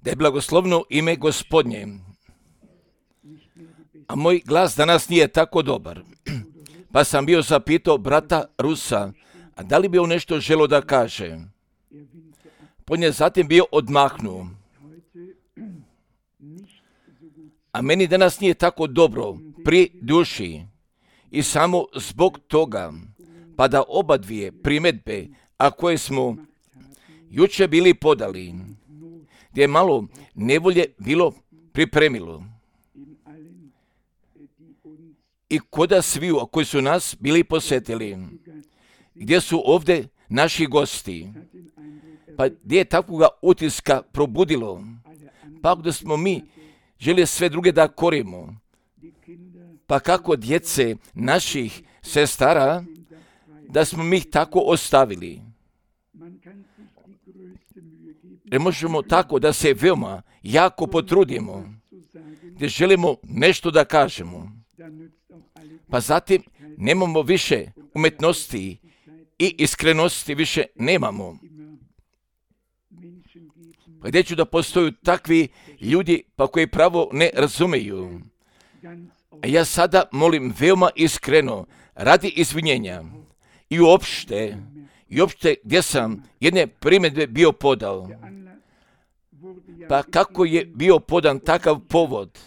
Da je blagoslovno ime Gospodnje. A moj glas danas nije tako dobar. Pa sam bio zapitao brata Rusa, a da li bi on nešto želio da kaže? On je zatim bio odmahnuo. A meni danas nije tako dobro pri duši. I samo zbog toga, pa da oba dvije primjedbe, a koje smo jučer bili podali, gdje je malo nevolje bilo pripremilo. I koda sviju koji su nas bili posjetili, gdje su ovdje naši gosti, pa gdje je takvoga utiska probudilo, pa da smo mi želi sve druge da korimo, pa kako djece naših sestara, da smo mi ih tako ostavili. Ne možemo tako da se veoma jako potrudimo, gdje želimo nešto da kažemo. Pa zatim nemamo više umetnosti i iskrenosti više nemamo. Pa gdje ću da postoju takvi ljudi pa koji pravo ne razumeju. A ja sada molim veoma iskreno, radi izvinjenja i uopšte gdje sam jedne primjedbe bio podao. Pa kako je bio podan takav povod,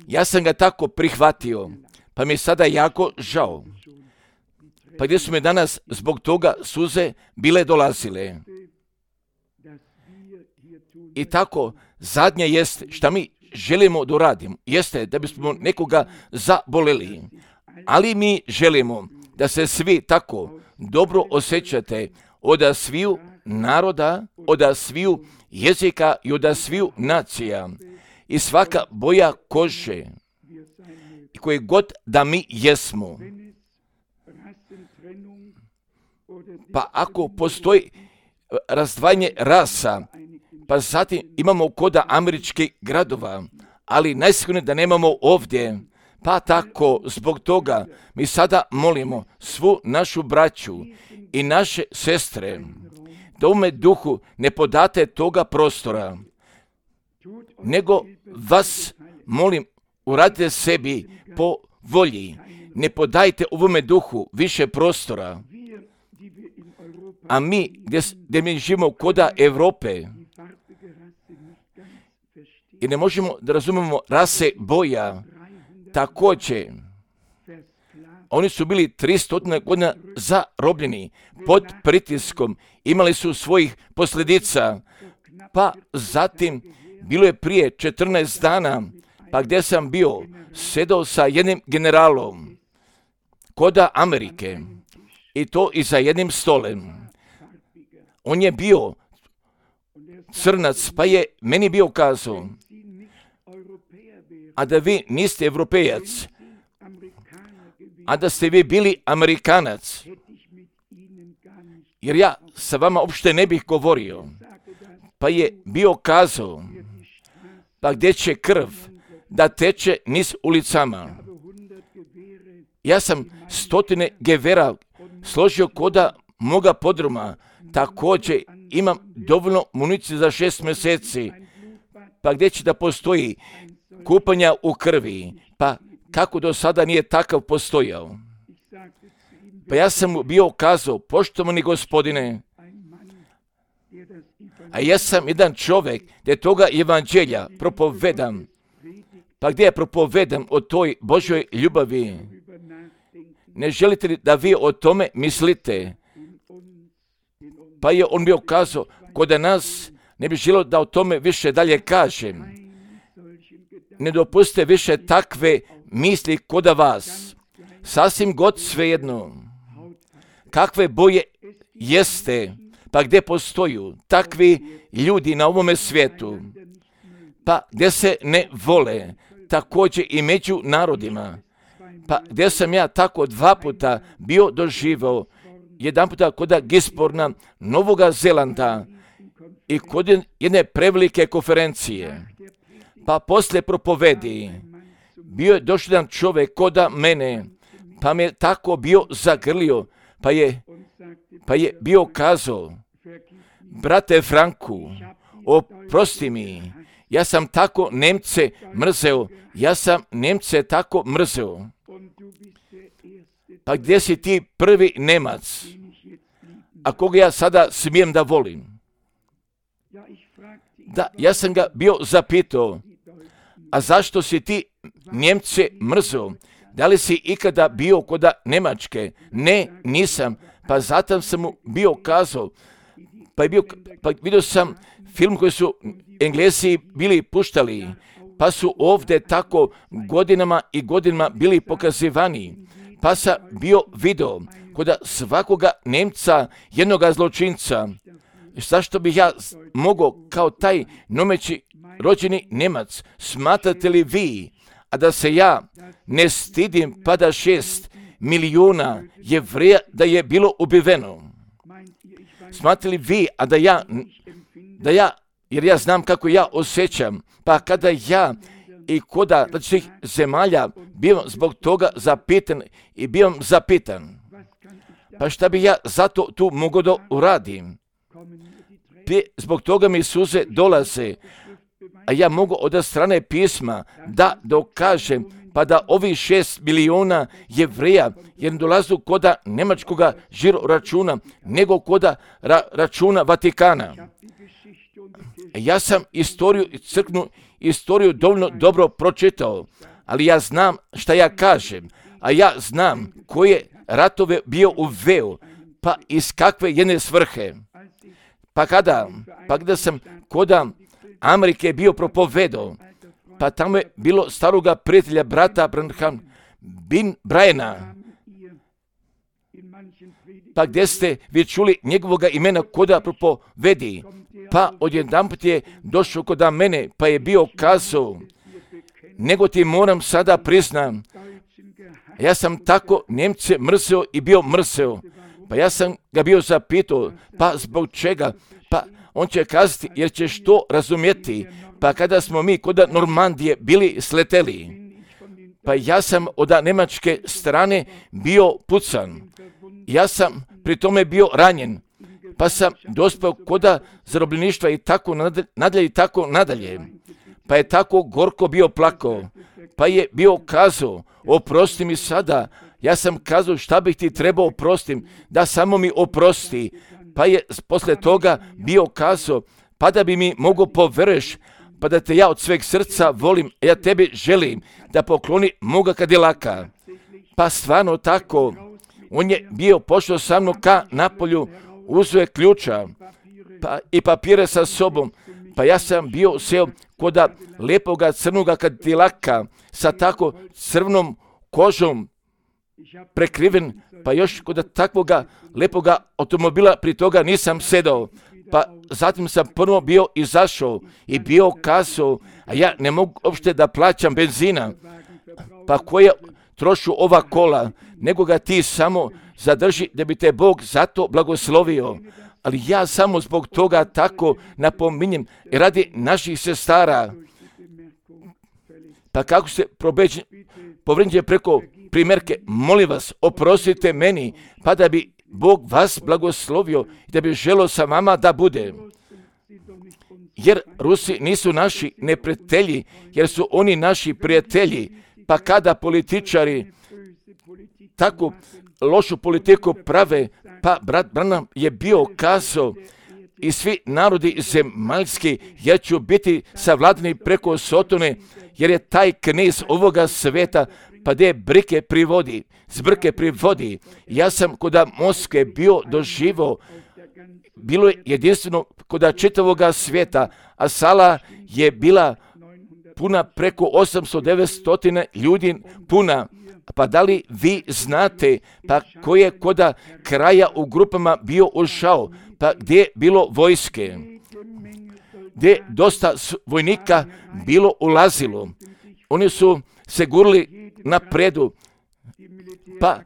ja sam ga tako prihvatio, pa mi je sada jako žao. Pa gdje su me danas zbog toga suze bile dolazile. I tako, zadnje jeste šta mi želimo da uradimo, jeste da bismo nekoga zaboleli, ali mi želimo da se svi tako dobro osjećate od sviju naroda, od sviju jezika i od sviju nacija i svaka boja kože i koje god da mi jesmo. Pa ako postoji razdvajanje rasa, pa zatim imamo koda američkih gradova, ali najsigurnije da nemamo ovdje. Pa tako, zbog toga, mi sada molimo svu našu braću i naše sestre, da u duhu ne podate toga prostora, nego vas molim, uradite sebi po volji, ne podajte ovome duhu više prostora. A mi, gdje mi živimo koda Evrope, i ne možemo da razumemo rase boja, također, oni su bili 300 godina zarobljeni pod pritiskom, imali su svojih posljedica, pa zatim bilo je prije 14 dana, pa gdje sam bio, sedao sa jednim generalom koda Amerike i to i za jednim stolem. On je bio crnac, pa je meni bio kazao, a da vi niste Evropejac, a da ste vi bili Amerikanac, jer ja sa vama uopšte ne bih govorio. Pa je bio kazao, pa gdje će krv da teče niz ulicama. Ja sam 100 gevera složio koda moga podruma, također imam dovoljno municije za 6 mjeseci, pa gdje će da postoji kupanja u krvi, pa kako do sada nije takav postojao. Pa ja sam mu bio kazao, poštovani gospodine, a ja sam jedan čovjek gdje toga evanđelja propovedam, pa gdje je propovedam o toj Božoj ljubavi. Ne želite li da vi o tome mislite? Pa je on bio kazao, kod nas ne bi želio da o tome više dalje kažem. Ne dopustite više takve misli kod vas. Sasvim god svejedno. Kakve boje jeste, pa gdje postoju takvi ljudi na ovome svijetu, pa gdje se ne vole, također i među narodima, pa gdje sam ja tako 2 puta bio doživao, jedan puta kod Gisborna, Novoga Zelanda i kod jedne prevelike konferencije. Pa poslije propovedi bio je došao jedan čovjek kod mene, pa me tako bio zagrlio, pa je bio kazao, brate Franku, oprosti mi, ja sam tako Nemce mrzeo, ja sam Nemce tako mrzeo. Pa gdje si ti prvi Nemac, a koga ja sada smijem da volim? Da, ja sam ga bio zapitao, a zašto si ti Njemce mrzeo? Da li si ikada bio kod Njemačke? Ne, nisam. Pa zato sam mu bio kazao, pa vidio sam film koji su Englesi bili puštali, pa su ovdje tako godinama i godinama bili pokazivani. Pa sam bio video kod svakoga Nemca, jednoga zločinca. Zašto bih ja mogao kao taj nomeći rođeni Nemac, smatrate li vi, a da se ja ne stidim pa da 6 milijuna Jevreja da je bilo ubiveno? Smatrate li vi, a da ja, jer ja znam kako ja osjećam, pa kada ja i koda svih zemalja bivam zbog toga zapitan i bivam zapitan, pa šta bi ja zato tu mogao da uradim? Zbog toga mi suze dolaze, a ja mogu od strane pisma da dokažem, pa da ovih 6 milijuna Jevreja jer dolazu koda njemačkoga žiro računa, nego koda računa Vatikana. Ja sam istoriju i crkvenu istoriju dovoljno dobro pročitao, ali ja znam šta ja kažem, a ja znam koje ratove bio uveo, pa iz kakve jedne svrhe. Pa kada sam koda Amerike bio propovedao, pa tamo je bilo staroga prijatelja brata Branham bin Brajana, pa gdje ste vi čuli njegovoga imena koda propovedi, pa odjedanput je došao kod mene, pa je bio kazao, nego ti moram sada priznam, ja sam tako Njemce mrzeo i bio mrzeo, pa ja sam ga bio zapitao, pa zbog čega? Pa on će kazati, jer ćeš to razumjeti, pa kada smo mi kod Normandije bili sleteli, pa ja sam od njemačke strane bio pucan, ja sam pri tome bio ranjen, pa sam dospeo kod zarobljeništva i tako nadalje, pa je tako gorko bio plakao, pa je bio kazao, oprosti mi sada, ja sam kazao šta bih ti trebao oprostim, da samo mi oprosti, pa je posle toga bio kazao, pa da bi mi mogo poveruješ, pa da te ja od sveg srca volim, ja tebi želim da pokloni moga kadilaka. Pa stvarno tako, on je bio pošao sa mnom ka napolju, uzeo je ključa pa i papire sa sobom, pa ja sam bio seo kod lepoga crnoga kadilaka sa tako crvenom kožom prekriven, pa još kod takvoga lepoga automobila pri toga nisam sedao. Pa zatim sam prvo bio izašao i bio kazao, a ja ne mogu uopšte da plaćam benzina, pa koje trošu ova kola, nego ga ti samo zadrži da bi te Bog zato blagoslovio. Ali ja samo zbog toga tako napominjem radi naših sestara. Pa kako se povređuje preko primjerke, molim vas, oprostite meni, pa da bi Bog vas blagoslovio i da bi želio sa vama da bude. Jer Rusi nisu naši neprijatelji, jer su oni naši prijatelji. Pa kada političari tako lošu politiku prave, pa brat Branham je bio kazao i svi narodi zemaljski, ja ću biti savladani preko Sotone, jer je taj knez ovoga sveta, pa gdje zbrke privodi. Ja sam kod Moskve bio doživao, bilo je jedinstveno kod čitavoga svijeta, a sala je bila puna preko 800-900 ljudi puna. Pa da li vi znate, pa ko je kod kraja u grupama bio ušao, pa gdje je bilo vojske, gdje je dosta vojnika bilo ulazilo. Oni su se gurili napredu, pa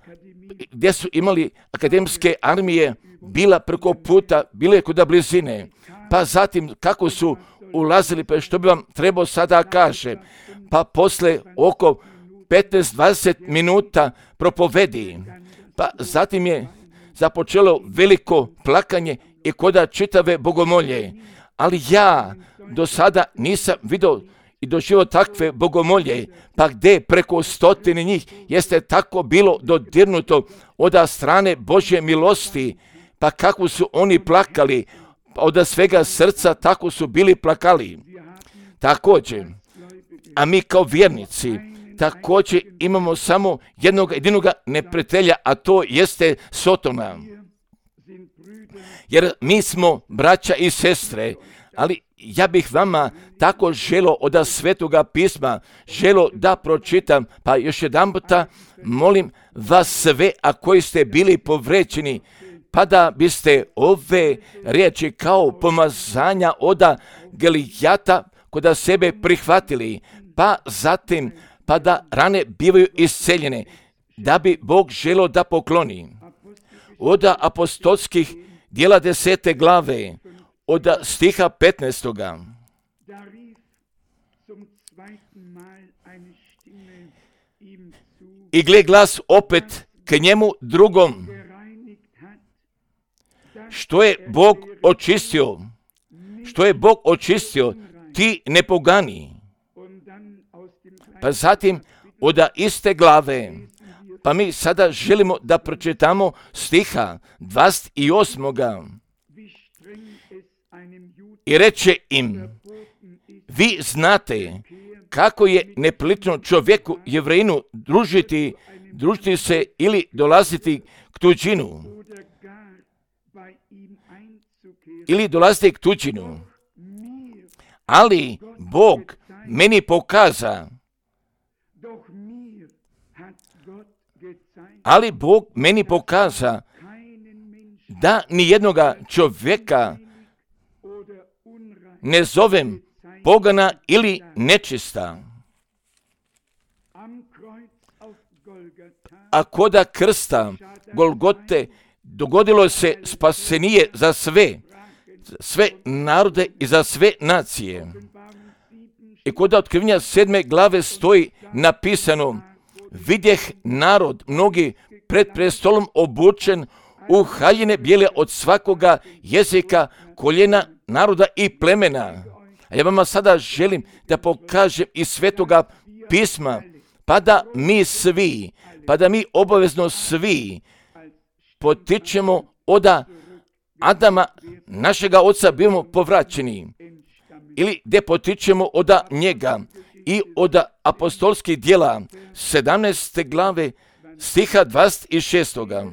gdje su imali akademske armije, bila preko puta, bile kod blizine. Pa zatim kako su ulazili, pa što bi vam trebao sada kaže, pa posle oko 15-20 minuta propovedi, pa zatim je započelo veliko plakanje i koda čitave bogomolje. Ali ja do sada nisam vidio i doživio takve bogomolje, pa gdje preko 100 njih jeste tako bilo dodirnuto od strane Božje milosti, pa kako su oni plakali, od svega srca tako su bili plakali. Također, a mi kao vjernici također imamo samo jednog jedinoga neprijatelja, a to jeste Sotona. Jer mi smo braća i sestre, ali ja bih vama tako želo od Svetoga pisma, želo da pročitam, pa još jedan puta molim vas sve, a koji ste bili povređeni, pa da biste ove riječi kao pomazanja od Gelijata koda sebe prihvatili, pa zatim pa da rane bivaju isceljene, da bi Bog želo da pokloni. Od apostolskih djela 10. glave, od stiha 15. I gle glas opet k njemu drugom, što je Bog očistio, ti ne pogani. Pa zatim od iste glave, pa mi sada želimo da pročitamo stiha 28. I reče im, vi znate kako je neprilично čovjeku Jevrejinu družiti se ili dolaziti k tuđinu. Ali Bog meni pokaza da nijednoga čovjeka ne zovem pogana ili nečista. A koda krsta Golgote dogodilo se spasenije za sve narode i za sve nacije. I koda otkrivenja 7. glave stoji napisano, vidjeh narod mnogi pred prestolom obučen u haljine bijele od svakoga jezika, koljena, naroda i plemena. A ja vama sada želim da pokažem iz Svetoga pisma, pa da mi obavezno svi potičemo od Adama, našega oca, bivamo povraćeni. Ili gdje potičemo od njega i od apostolskih djela 17. glave stiha 26.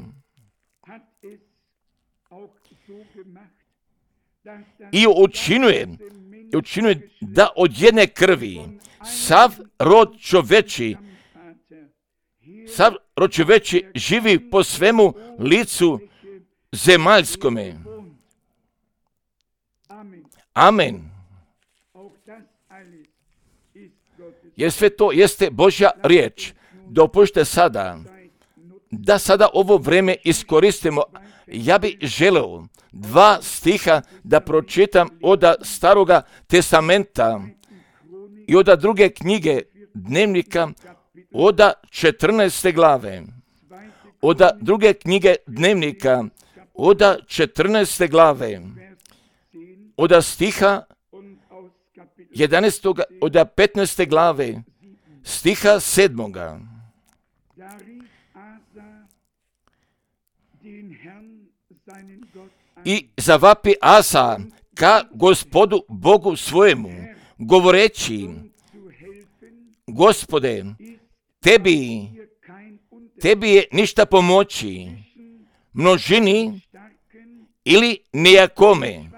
I učinuje da od jedne krvi sav rod čoveči živi po svemu licu zemaljskome. Amen. Jer sve to jeste Božja riječ. Dopušte sada da ovo vrijeme iskoristimo. Ja bih želeo 2 stiha da pročitam od Staroga testamenta i od druge knjige Dnevnika od 14. glave. Od druge knjige Dnevnika od 14. glave. Od stiha 11. od 15. glave stiha 7. I zavapi Asa ka Gospodu Bogu svojemu, govoreći, Gospode, tebi je ništa pomoći, množini ili nijakome.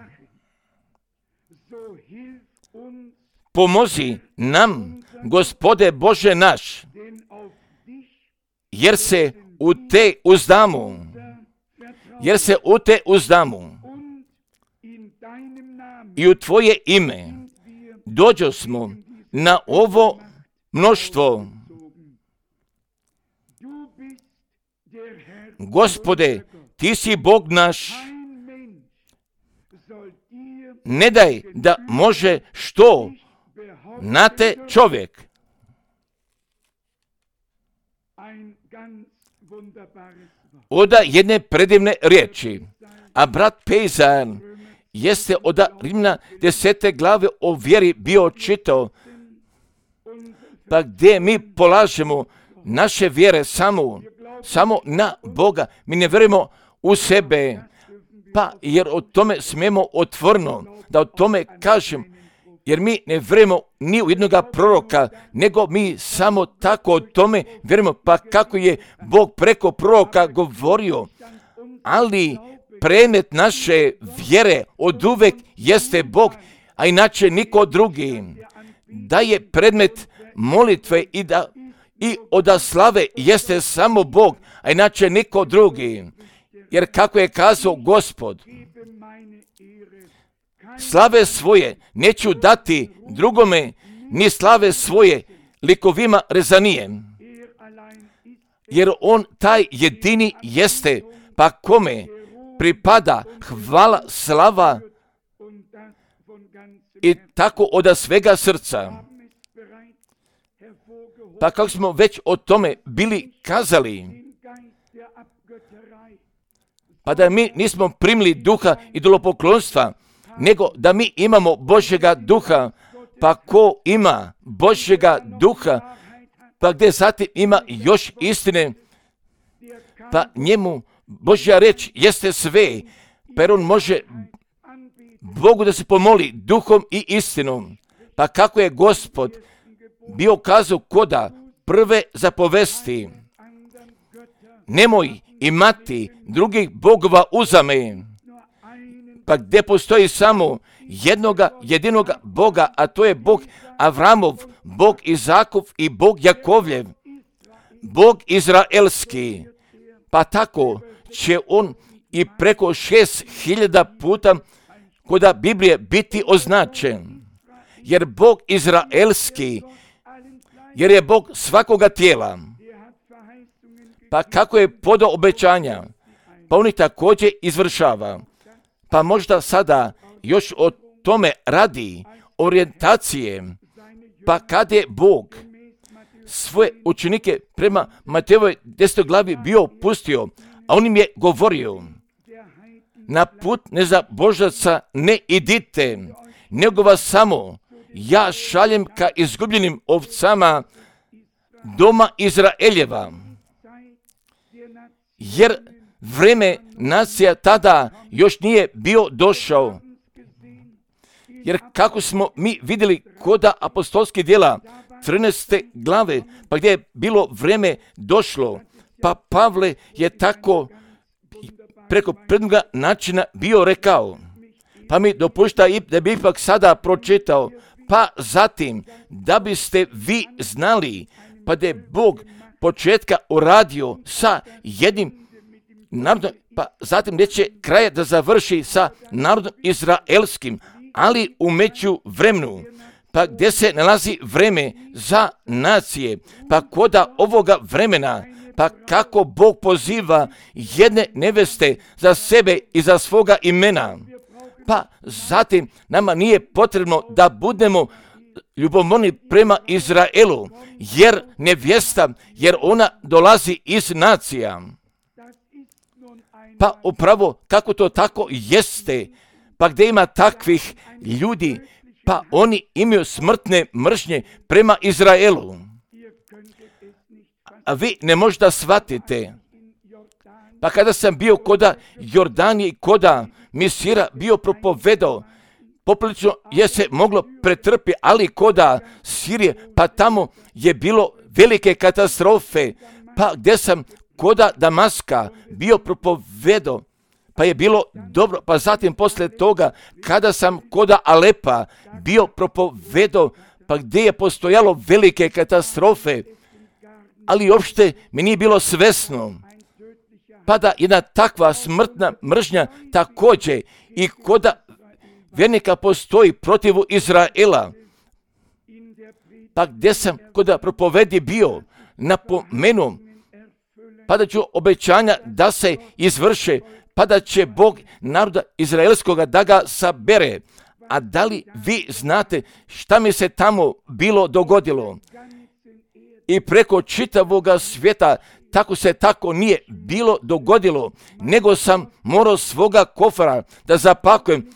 Pomozi nam, Gospode Bože naš, jer se u te uzdamo. I u Tvoje ime dođo smo na ovo mnoštvo. Gospode, Ti si Bog naš, ne daj da može što na te čovjek. Od jedne predivne riječi, A brat Pejzar jeste od Rimljana 10. glave o vjeri bio čitao, pa gdje mi polažemo naše vjere samo na Boga. Mi ne vjerujemo u sebe, pa jer o tome smijemo otvoreno da o tome kažem, jer mi ne vjerujemo ni u jednoga proroka, nego mi samo tako o tome vjerujemo, pa kako je Bog preko proroka govorio, ali predmet naše vjere od uvek jeste Bog, a inače niko drugi. Da je predmet molitve i od slave jeste samo Bog, a inače niko drugi. Jer kako je kazao Gospod, slave svoje neću dati drugome, ni slave svoje likovima rezanije. Jer on taj jedini jeste, pa kome pripada hvala, slava i tako od svega srca. Pa kako smo već o tome bili kazali, pa da mi nismo primili duha idolopoklonstva, nego da mi imamo Božjega duha, pa ko ima Božjega duha, pa gdje zatim ima još istine, pa njemu Božja reč jeste sve, pa on može Bogu da se pomoli duhom i istinom. Pa kako je Gospod bio kazao koda prve zapovesti, nemoj imati drugih bogova uzame, pa gdje postoji samo jedinoga Boga, a to je Bog Avramov, Bog Izakov i Bog Jakovljev, Bog Izraelski. Pa tako će on i preko 6000 puta koda Biblije biti označen. Jer Bog Izraelski, jer je Bog svakoga tijela. Pa kako je podao obećanja, pa on ih također izvršava. Pa možda sada još o tome radi orijentacije, pa kad je Bog svoje učenike prema Matejovoj 10. glavi bio pustio, a on im je govorio, na put nezabožaca ne idite, nego vas samo ja šaljem ka izgubljenim ovcama doma Izraeljeva. Jer vreme nacija tada još nije bio došao. Jer kako smo mi vidjeli koda apostolskih djela 13. glave, pa gdje je bilo vreme došlo, pa Pavle je tako preko prednoga načina bio rekao, pa mi dopušta da bi ipak sada pročitao, pa zatim da biste vi znali, pa da je Bog početka uradio sa jednim narodom, pa zatim neće kraja da završi sa narodom izraelskim, ali u međuvremenu, pa gdje se nalazi vreme za nacije, pa koda ovoga vremena, pa kako Bog poziva jedne neveste za sebe i za svoga imena, pa zatim nama nije potrebno da budemo ljubomorni prema Izraelu, jer nevjesta, jer ona dolazi iz nacija. Pa upravo kako to tako jeste, pa gdje ima takvih ljudi, pa oni imaju smrtne mržnje prema Izraelu. A vi ne možete da shvatite. Pa kada sam bio koda Jordanije i koda Misira bio propovedao, poprilično je se moglo pretrpi, ali koda Sirije, pa tamo je bilo velike katastrofe, pa gdje sam koda Damaska bio propovedao, pa je bilo dobro, pa zatim poslije toga, kada sam koda Alepa bio propovedao, pa gdje je postojalo velike katastrofe, ali uopšte mi nije bilo svesno, pa da jedna takva smrtna mržnja također i koda vjernika postoji protiv Izraela, pa gdje sam koda propovedi bio, napomenuo, pa da ću obećanja da se izvrše, pa da će Bog naroda izraelskoga da ga sabere. A da li vi znate šta mi se tamo bilo dogodilo? I preko čitavoga svijeta tako nije bilo dogodilo, nego sam morao svoga kofara da zapakujem,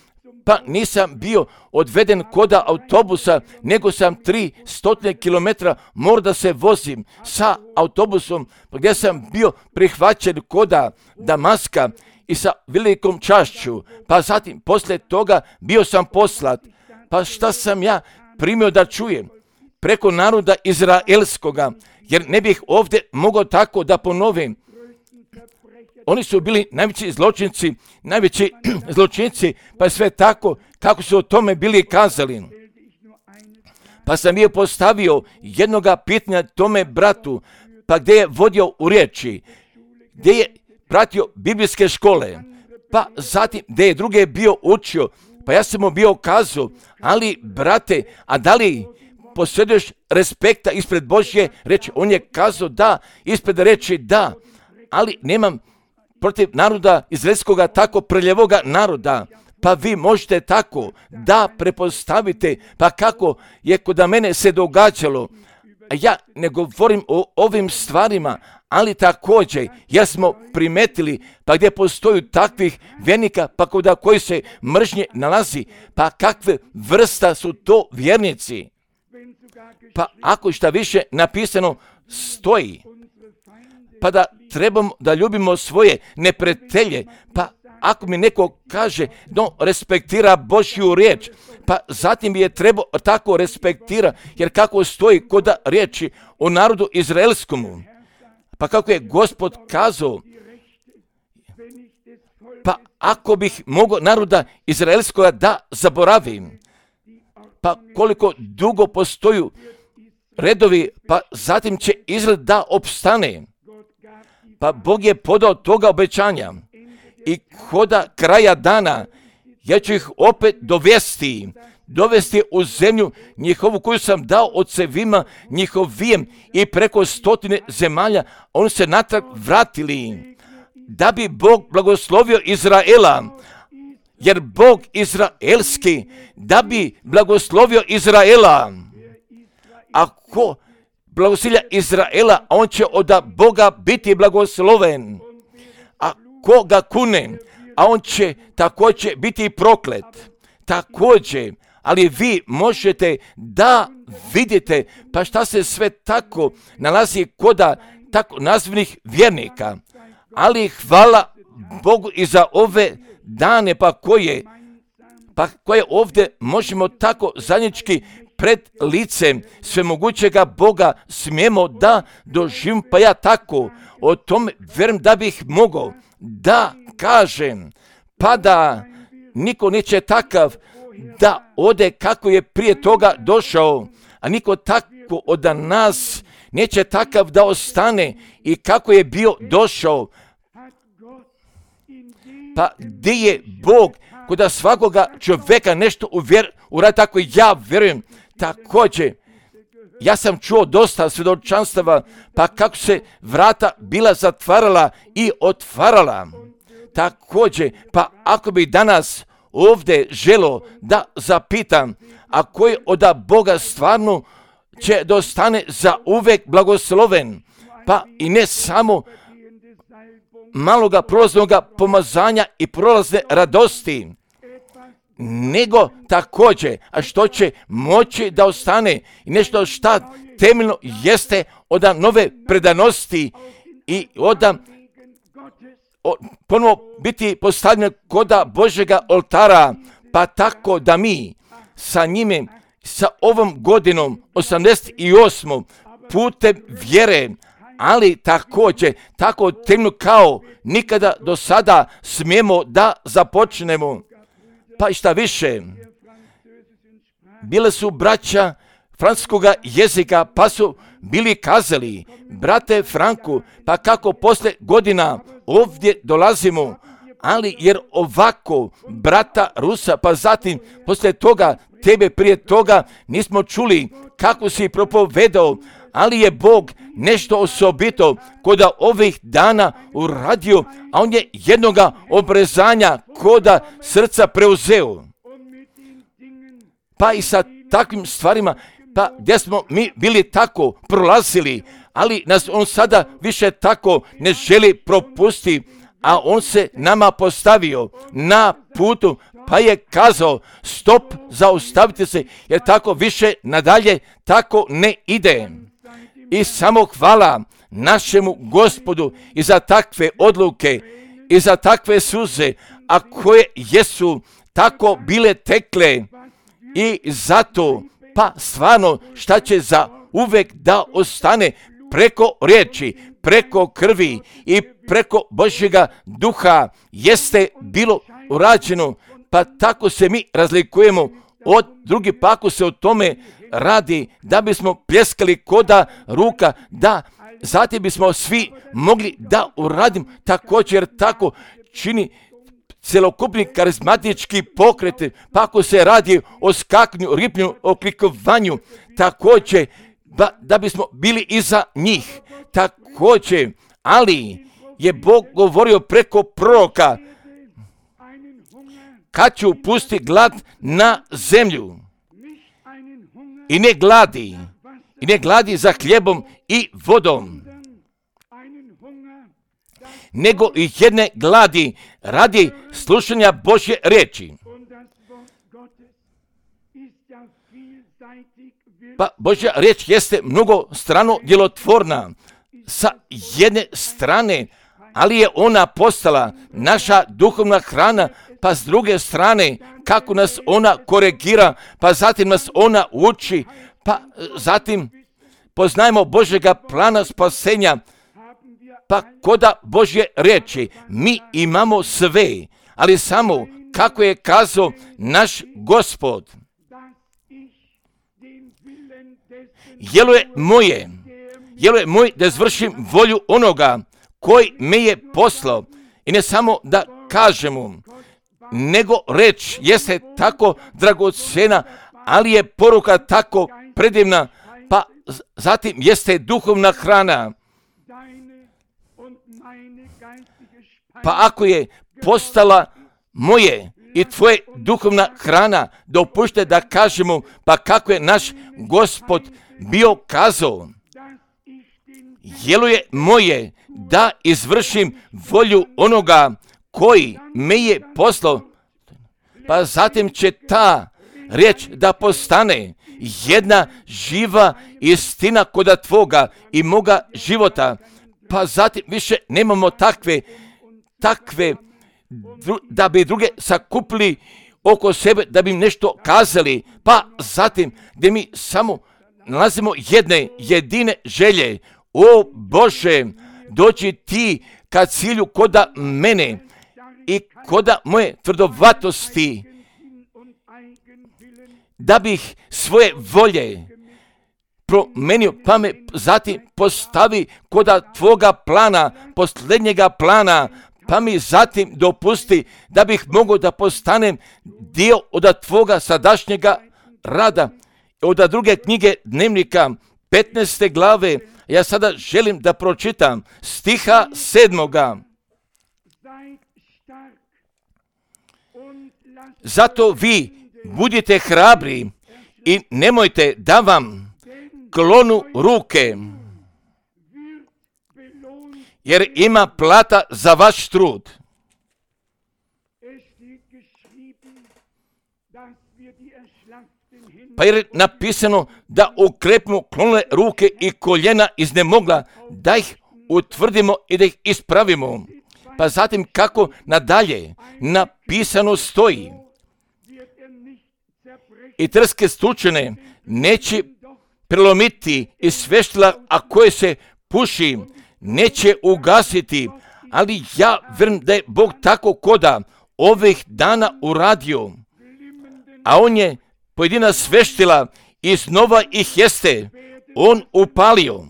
pa nisam bio odveden koda autobusa, nego sam 300 km morao da se vozim sa autobusom, gdje sam bio prihvaćen koda Damaska i sa velikom čašću, pa zatim poslije toga bio sam poslat. Pa šta sam ja primio da čujem? Preko naroda izraelskoga, jer ne bih ovdje mogao tako da ponovim. Oni su bili najveći zločinci, pa je sve tako kako su o tome bili kazali. Pa sam je postavio jednoga pitanja tome bratu, pa gdje je vodio u riječi, gdje je pratio biblijske škole, pa zatim gdje je druge bio učio, pa ja sam mu bio kazao, ali brate, a da li posjeduješ respekta ispred Božje reči? On je kazao da, ispred reči da, ali nemam protiv naroda izraelskoga tako prljevoga naroda. Pa vi možete tako da prepostavite, pa kako je kod mene se događalo. A ja ne govorim o ovim stvarima, ali također, jer smo primetili, pa gdje postoju takvih vjernika, pa kod koji se mržnje nalazi, pa kakve vrsta su to vjernici? Pa ako šta više napisano stoji, pa da trebamo da ljubimo svoje neprijatelje, pa ako mi neko kaže da respektira Božju riječ, pa zatim je trebao tako respektira, jer kako stoji kod riječi o narodu izraelskomu, pa kako je Gospod kazao, pa ako bih mogao naroda izraelskoga da zaboravim, pa koliko dugo postoju redovi, pa zatim će Izrael da opstane. Pa Bog je podao toga obećanja i koda kraja dana ja ću ih opet dovesti u zemlju njihovu koju sam dao ocevima njihovijem i preko 100 zemalja, oni se natrag vratili, da bi Bog blagoslovio Izraela, jer Bog izraelski, da bi blagoslovio Izraela. Ako blagoslovlja Izraela, on će od Boga biti blagosloven. A ko ga kune, a on će također biti proklet. Također, ali vi možete da vidite pa šta se sve tako nalazi koda tako nazvanih vjernika. Ali hvala Bogu i za ove dane pa koje ovdje možemo tako zajednički pred licem svemogućega Boga smijemo da doživim, pa ja tako o tome vjerujem da bih mogao da kažem, pa da niko neće takav da ode kako je prije toga došao, a niko tako od nas neće takav da ostane i kako je bio došao. Pa gdje je Bog kod svakoga čovjeka nešto uradi, tako ja vjerujem. Također, ja sam čuo dosta svjedočanstava, pa kako se vrata bila zatvarala i otvarala. Također, pa ako bi danas ovdje želo da zapitam, a koji od Boga stvarno će da ostane za uvek blagosloven, pa i ne samo maloga prolaznoga pomazanja i prolazne radosti, nego također, a što će moći da ostane i nešto šta temeljno jeste od nove predanosti i ponovo biti postavljeno koda Božjega oltara, pa tako da mi sa njime, sa ovom godinom 88. putem vjere, ali također tako temeljno kao nikada do sada smijemo da započnemo. Pa i šta više, bile su braća francuskoga jezika, pa su bili kazali, brate Franku, pa kako posle godina ovdje dolazimo, ali jer ovako brata Rusa, pa zatim posle toga tebe prije toga nismo čuli kako si propovedao, ali je Bog nešto osobito koda ovih dana uradio, a on je jednoga obrezanja koda srca preuzeo. Pa i sa takvim stvarima, pa gdje smo mi bili tako prolazili, ali nas on sada više tako ne želi propustiti, a on se nama postavio na putu, pa je kazao, stop, zaustavite se, jer tako više nadalje tako ne ide. I samo hvala našemu Gospodu i za takve odluke i za takve suze, a koje jesu tako bile tekle, i zato pa stvarno šta će za uvek da ostane preko riječi, preko krvi i preko Božjega duha jeste bilo urađeno. Pa tako se mi razlikujemo od drugih, pa ako se o tome radi da bismo pljeskali koda ruka, da zatim bismo svi mogli da uradimo također tako čini celokupni karizmatički pokret, pa ako se radi o skakanju, ripljenju, o klikovanju, također da bismo bili iza njih. Također, ali je Bog govorio preko proroka, kad ću pustiti glad na zemlju, i ne gladi za hljebom i vodom, nego i jedne gladi radi slušanja Božje riječi. Pa Božja riječ jeste mnogo strano djelotvorna sa jedne strane, ali je ona postala naša duhovna hrana, pa s druge strane kako nas ona koregira, pa zatim nas ona uči, pa zatim poznajemo Božjega plana spasenja, pa koda Božje riječi mi imamo sve, ali samo kako je kazao naš Gospod. Jelo je moj da izvršim volju onoga koji me je poslao, i ne samo da kažemo, nego reč jeste tako dragocena, ali je poruka tako predivna, pa zatim jeste duhovna hrana. Pa ako je postala moje i tvoje duhovna hrana, dopušte da kažemo, pa kako je naš Gospod bio kazao, jelo je moje da izvršim volju onoga koji me je poslao, pa zatim će ta riječ da postane jedna živa istina koda tvoga i moga života, pa zatim više nemamo takve da bi druge sakupili oko sebe, da bi im nešto kazali, pa zatim gdje mi samo nalazimo jedne jedine želje, o Bože, dođi ti ka cilju koda mene i koda moje tvrdovatosti, da bih svoje volje promenio, pa me zatim postavi koda tvoga plana, posljednjega plana, pa mi zatim dopusti da bih mogao da postanem dio od tvoga sadašnjega rada. Od druge knjige Dnevnika 15. glave, ja sada želim da pročitam stiha 7. Zato vi budite hrabri i nemojte da vam klonu ruke, jer ima plata za vaš trud. Pa je napisano da ukrepimo klonule ruke i koljena iznemogla, da ih utvrdimo i da ih ispravimo. Pa zatim kako nadalje napisano stoji, i trske stučene neće prelomiti i sveštila, a koje se puši neće ugasiti, ali ja vjerujem da je Bog tako koda ovih dana uradio, a on je pojedina sveštila i znova ih jeste on upalio.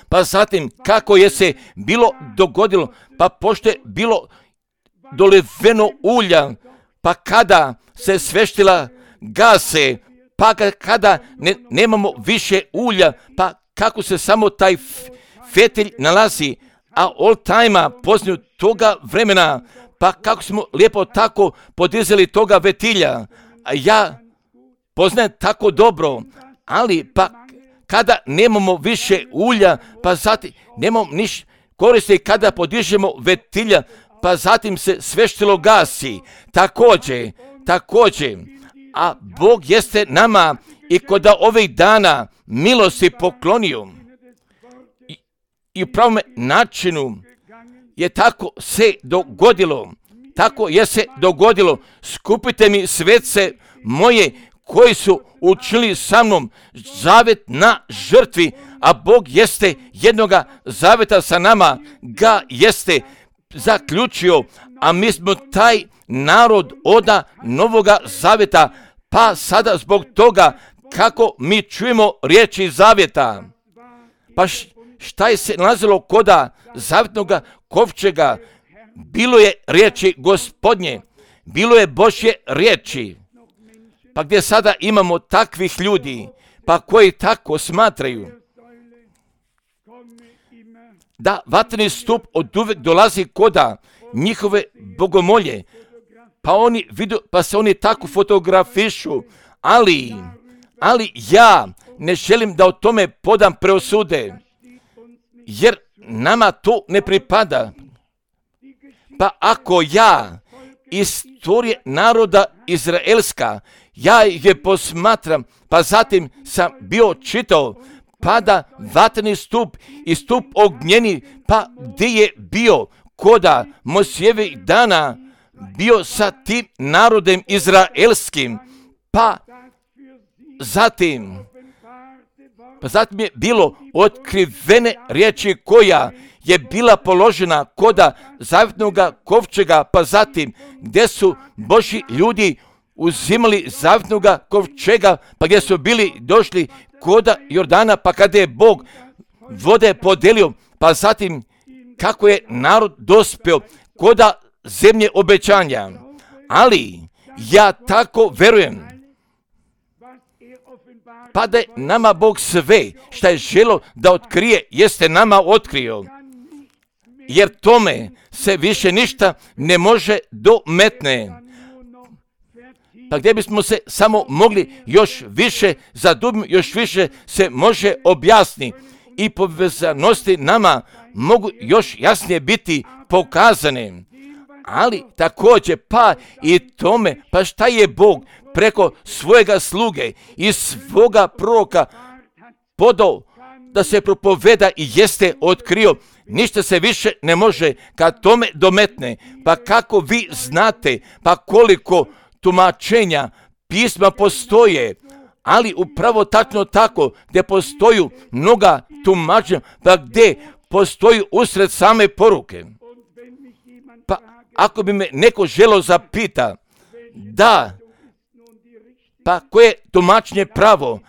Pa zatim kako je se bilo dogodilo, pa pošto je bilo doliveno ulja, pa kada se sveštila gase, pa kada nemamo više ulja, pa kako se samo taj fetelj nalazi, a all time poznaju toga vremena, pa kako smo lijepo tako podizali toga vetilja, a ja poznajem tako dobro, ali pa kada nemamo više ulja, pa zatim nemamo ništa koristi kada podižemo vetilja, pa zatim se sveštilo gasi. Također, a Bog jeste nama i kod ovih dana milosti poklonio. I u pravom načinu je tako se dogodilo. Tako je se dogodilo. Skupite mi svece moje koji su učinili sa mnom zavet na žrtvi, a Bog jeste jednoga zaveta sa nama ga jeste zaključio, a mi smo taj narod oda novoga zaveta, pa sada zbog toga kako mi čujemo riječi zavjeta. Pa šta je se nalazilo koda zavjetnoga kovčega? Bilo je riječi Gospodnje, bilo je Božje riječi. Pa gdje sada imamo takvih ljudi, pa koji tako smatraju da vatreni stup od uvek dolazi koda njihove bogomolje, pa se oni tako fotografišu, ali ja ne želim da o tome podam preosude, jer nama to ne pripada. Pa ako ja istorije naroda izraelska, ja je posmatram, pa zatim sam bio čitao, pada vatreni stup i stup ognjeni, pa gdje je bio koda Mojsijevih dana, bio sa tim narodem izraelskim, pa zatim je bilo otkrivene riječi koja je bila položena koda zavjetnoga kovčega, pa zatim gdje su Božji ljudi uzimali zavjetnoga kovčega, pa gdje su bili došli koda Jordana, pa kada je Bog vode podelio, pa zatim kako je narod dospio koda zemlje obećanja. Ali ja tako verujem, pa da je nama Bog sve što je želo da otkrije, jeste nama otkrio. Jer tome se više ništa ne može dometne. Pa gdje bismo se samo mogli još više zadubiti, još više se može objasniti i povezanosti nama mogu još jasnije biti pokazane. Ali također pa i tome, pa šta je Bog preko svojega sluge i svoga proroka podao da se propoveda i jeste otkrio, ništa se više ne može kad tome dometne. Pa kako vi znate, pa koliko tumačenja pisma postoje, ali upravo tačno tako gdje postoji mnoga tumačenja, pa gdje postoji usred same poruke. Pa ako bi me neko želo zapita, da, pa koje tumačenje pravo,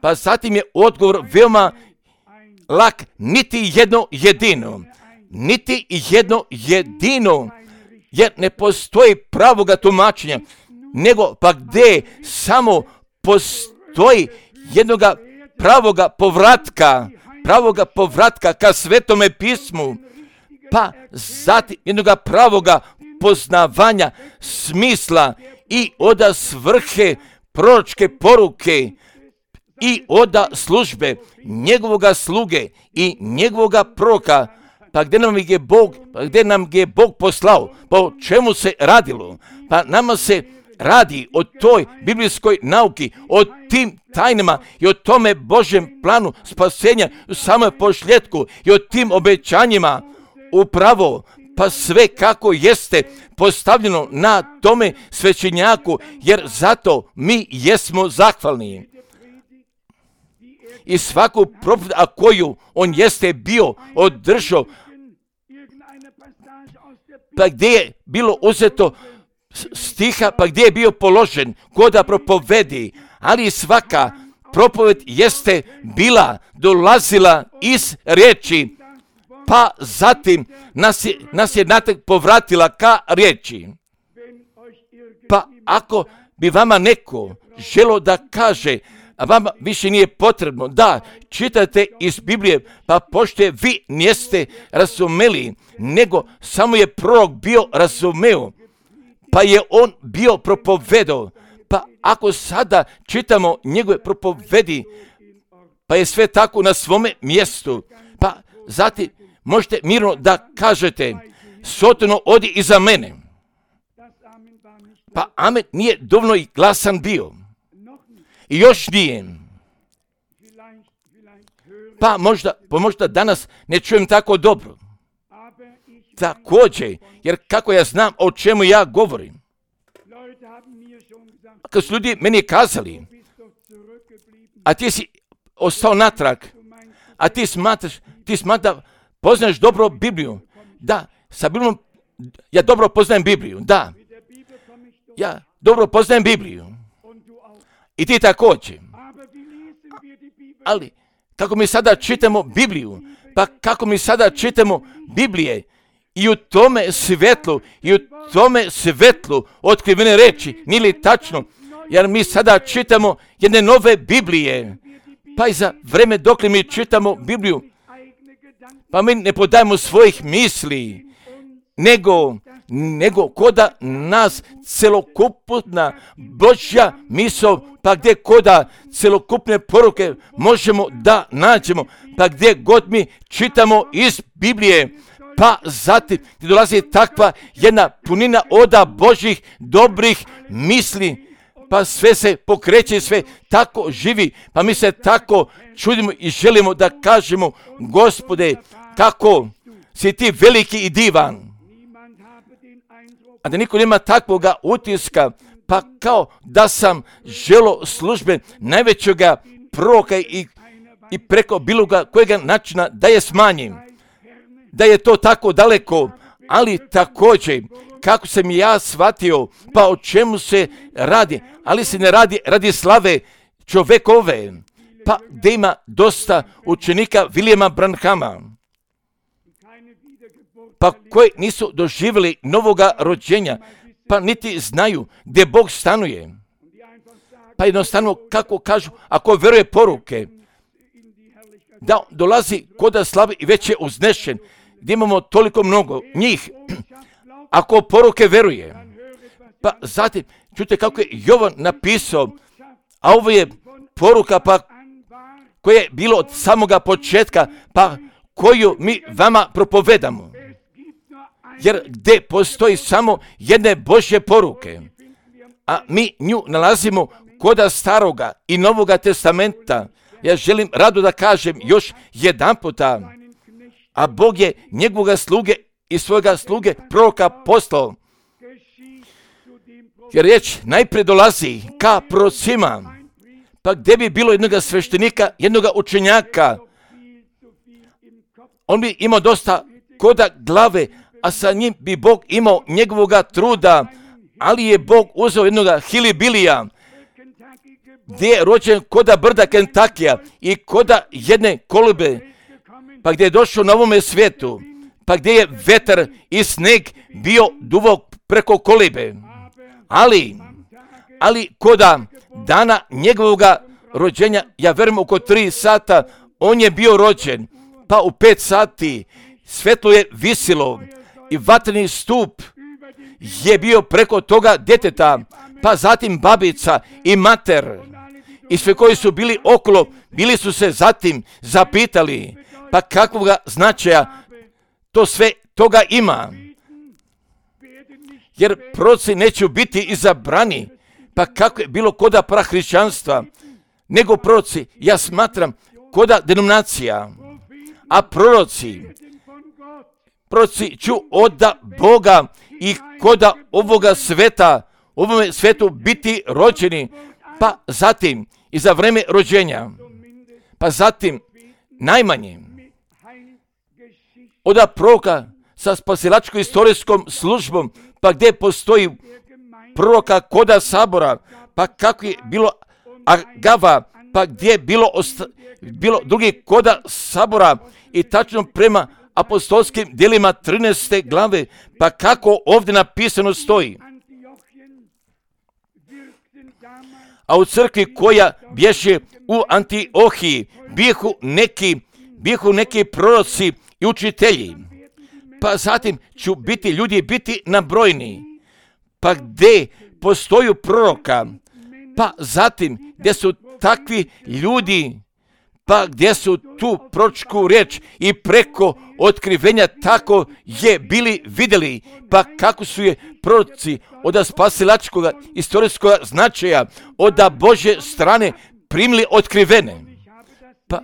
pa zatim je odgovor veoma lak, niti jedno jedino, jer ne postoji pravoga tumačenja, nego pa gdje samo postoji jednoga pravoga povratka ka Svetome pismu, pa zatim jednoga pravoga poznavanja smisla i oda svrhe proročke poruke i oda službe njegovoga sluge i njegovoga proroka. Pa gdje nam je Bog poslao? Pa o čemu se radilo? Pa nama se radi o toj biblijskoj nauki, o tim tajnama i o tome Božjem planu spasenja u samom posljedku i o tim obećanjima upravo, pa sve kako jeste postavljeno na tome svećenjaku, jer zato mi jesmo zahvalni. I svaku propoved, a koju on jeste bio održao, pa gdje je bilo uzeto stiha, pa gdje je bio položen koda propovedi, ali svaka propoved jeste dolazila iz riječi, pa zatim nas je natrag povratila ka riječi. Pa ako bi vama neko želo da kaže, a vama više nije potrebno da čitate iz Biblije, pa pošto vi niste razumeli, nego samo je prorok bio razumeo, pa je on bio propovedao. Pa ako sada čitamo njegove propovedi, pa je sve tako na svome mjestu. Pa zatim možete mirno da kažete, Sotano, odi iza mene. Pa amen nije dovoljno i glasan bio. I još nije. Pa možda danas ne čujem tako dobro. Također, jer kako ja znam o čemu ja govorim. Kad su ljudi meni kazali, a ti si ostao natrag, a ti smatraš da poznaš dobro Bibliju. Da, sa Biblijom, ja dobro poznajem Bibliju, da. Ja dobro poznajem Bibliju. I ti također. Ali, kako mi sada čitamo Bibliju, pa kako mi sada čitamo Biblije, i u tome svetlu otkrivene reči, nije li tačno, jer mi sada čitamo jedne nove Biblije, pa i za vreme dok li mi čitamo Bibliju, pa mi ne podajemo svojih misli, nego koda nas celokupna Božja misao, pa gdje koda celokupne poruke možemo da nađemo, pa gdje god mi čitamo iz Biblije, pa zatim dolazi takva jedna punina oda Božjih dobrih misli, pa sve se pokreće, sve tako živi, pa mi se tako čudimo i želimo da kažemo, Gospode, kako si ti veliki i divan. A da niko nema takvoga utiska, pa kao da sam želo službe najvećega proroka i preko bilo kojega načina da je smanjim. Da je to tako daleko, ali također, kako sam ja shvatio, pa o čemu se radi, ali se ne radi radi slave čovekove, pa gdje ima dosta učenika Williama Branhama, pa koji nisu doživjeli novoga rođenja, pa niti znaju gdje Bog stanuje. Pa jednostavno, kako kažu, ako vjeruje poruke, da dolazi koda slave i već je uznešen, gdje imamo toliko mnogo njih, ako poruke veruje. Pa zatim, čujte kako je Jovan napisao, a ovo je poruka pa koja je bilo od samoga početka, pa koju mi vama propovedamo. Jer gdje postoji samo jedne Božje poruke, a mi nju nalazimo koda Staroga i Novoga testamenta, ja želim rado da kažem još jedan puta, a Bog je njegovoga sluge i svojega sluge proroka poslao. Jer riječ najprije dolazi ka prorocima, pa gdje bi bilo jednoga sveštenika, jednoga učenjaka, on bi imao dosta koda glave, a sa njim bi Bog imao njegovoga truda, ali je Bog uzeo jednoga Hilibilija, gdje je rođen koda brda Kentakija i koda jedne kolibe, pa gdje je došao na ovome svijetu, pa gdje je vetar i sneg bio duvao preko kolibe. Ali koda dana njegovoga rođenja, ja verujem oko 3 sata, on je bio rođen, pa u 5 sati svetlo je visilo i vatreni stup je bio preko toga djeteta, pa zatim babica i mater i sve koji su bili okolo, bili su se zatim zapitali, pa kakvoga značaja to sve toga ima. Jer proroci neće biti izabrani, pa kako je bilo koda prahrišćanstva, nego proroci, ja smatram, koda denominacija, a proroci ću od Boga i koda ovoga sveta, ovome svetu biti rođeni, pa zatim i za vreme rođenja, pa zatim najmanje od proroka sa spasilačko-istorijskom službom, pa gdje postoji proroka koda sabora, pa kako je bilo Agava, pa gdje je bilo drugi koda sabora i tačno prema apostolskim djelima 13. glave, pa kako ovdje napisano stoji. A u crkvi koja bješe u Antiohiji bihu neki proroci i učitelji, pa zatim ću ljudi biti nabrojni, pa gdje postoju proroka, pa zatim gdje su takvi ljudi, pa gdje su tu proročku riječ i preko otkrivenja tako je bili vidjeli, pa kako su je proroci od spasilačkog istorijskog značaja, od Božje strane primili otkrivene. Pa,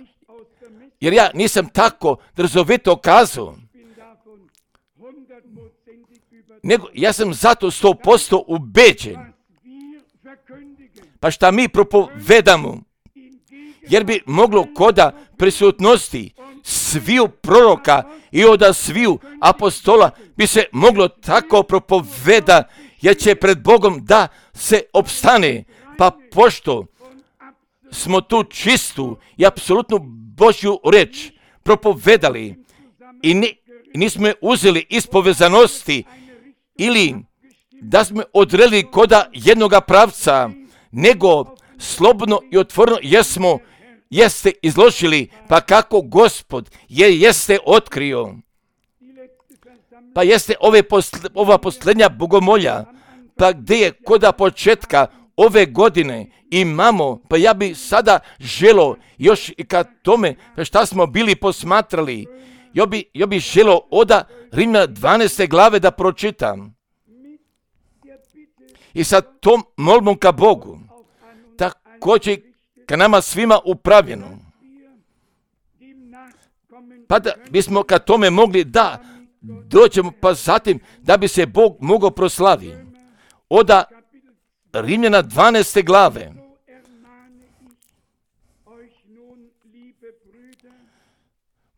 jer ja nisam tako drzovito kazao, nego ja sam zato 100% ubeđen. Pa šta mi propovedamo, jer bi moglo koda prisutnosti sviju proroka i od sviju apostola bi se moglo tako propoveda, jer će pred Bogom da se opstane. Pa pošto smo tu čistu i apsolutnu Božju reč propovedali i nismo je uzeli iz povezanosti ili da smo odredili koda jednoga pravca, nego slobodno i otvoreno jeste izložili, pa kako Gospod jeste otkrio. Pa jeste ova posljednja bogomolja, pa gdje je koda početka ove godine imamo, pa ja bi sada želo još i kad tome šta smo bili posmatrali, ja bi želo od Rimljana 12. glave da pročitam. I sa tom molbom ka Bogu, također ka nama svima upravljeno. Pa da bismo ka tome mogli da dođemo, pa zatim da bi se Bog mogao proslaviti. Od Rimljana 12. glave.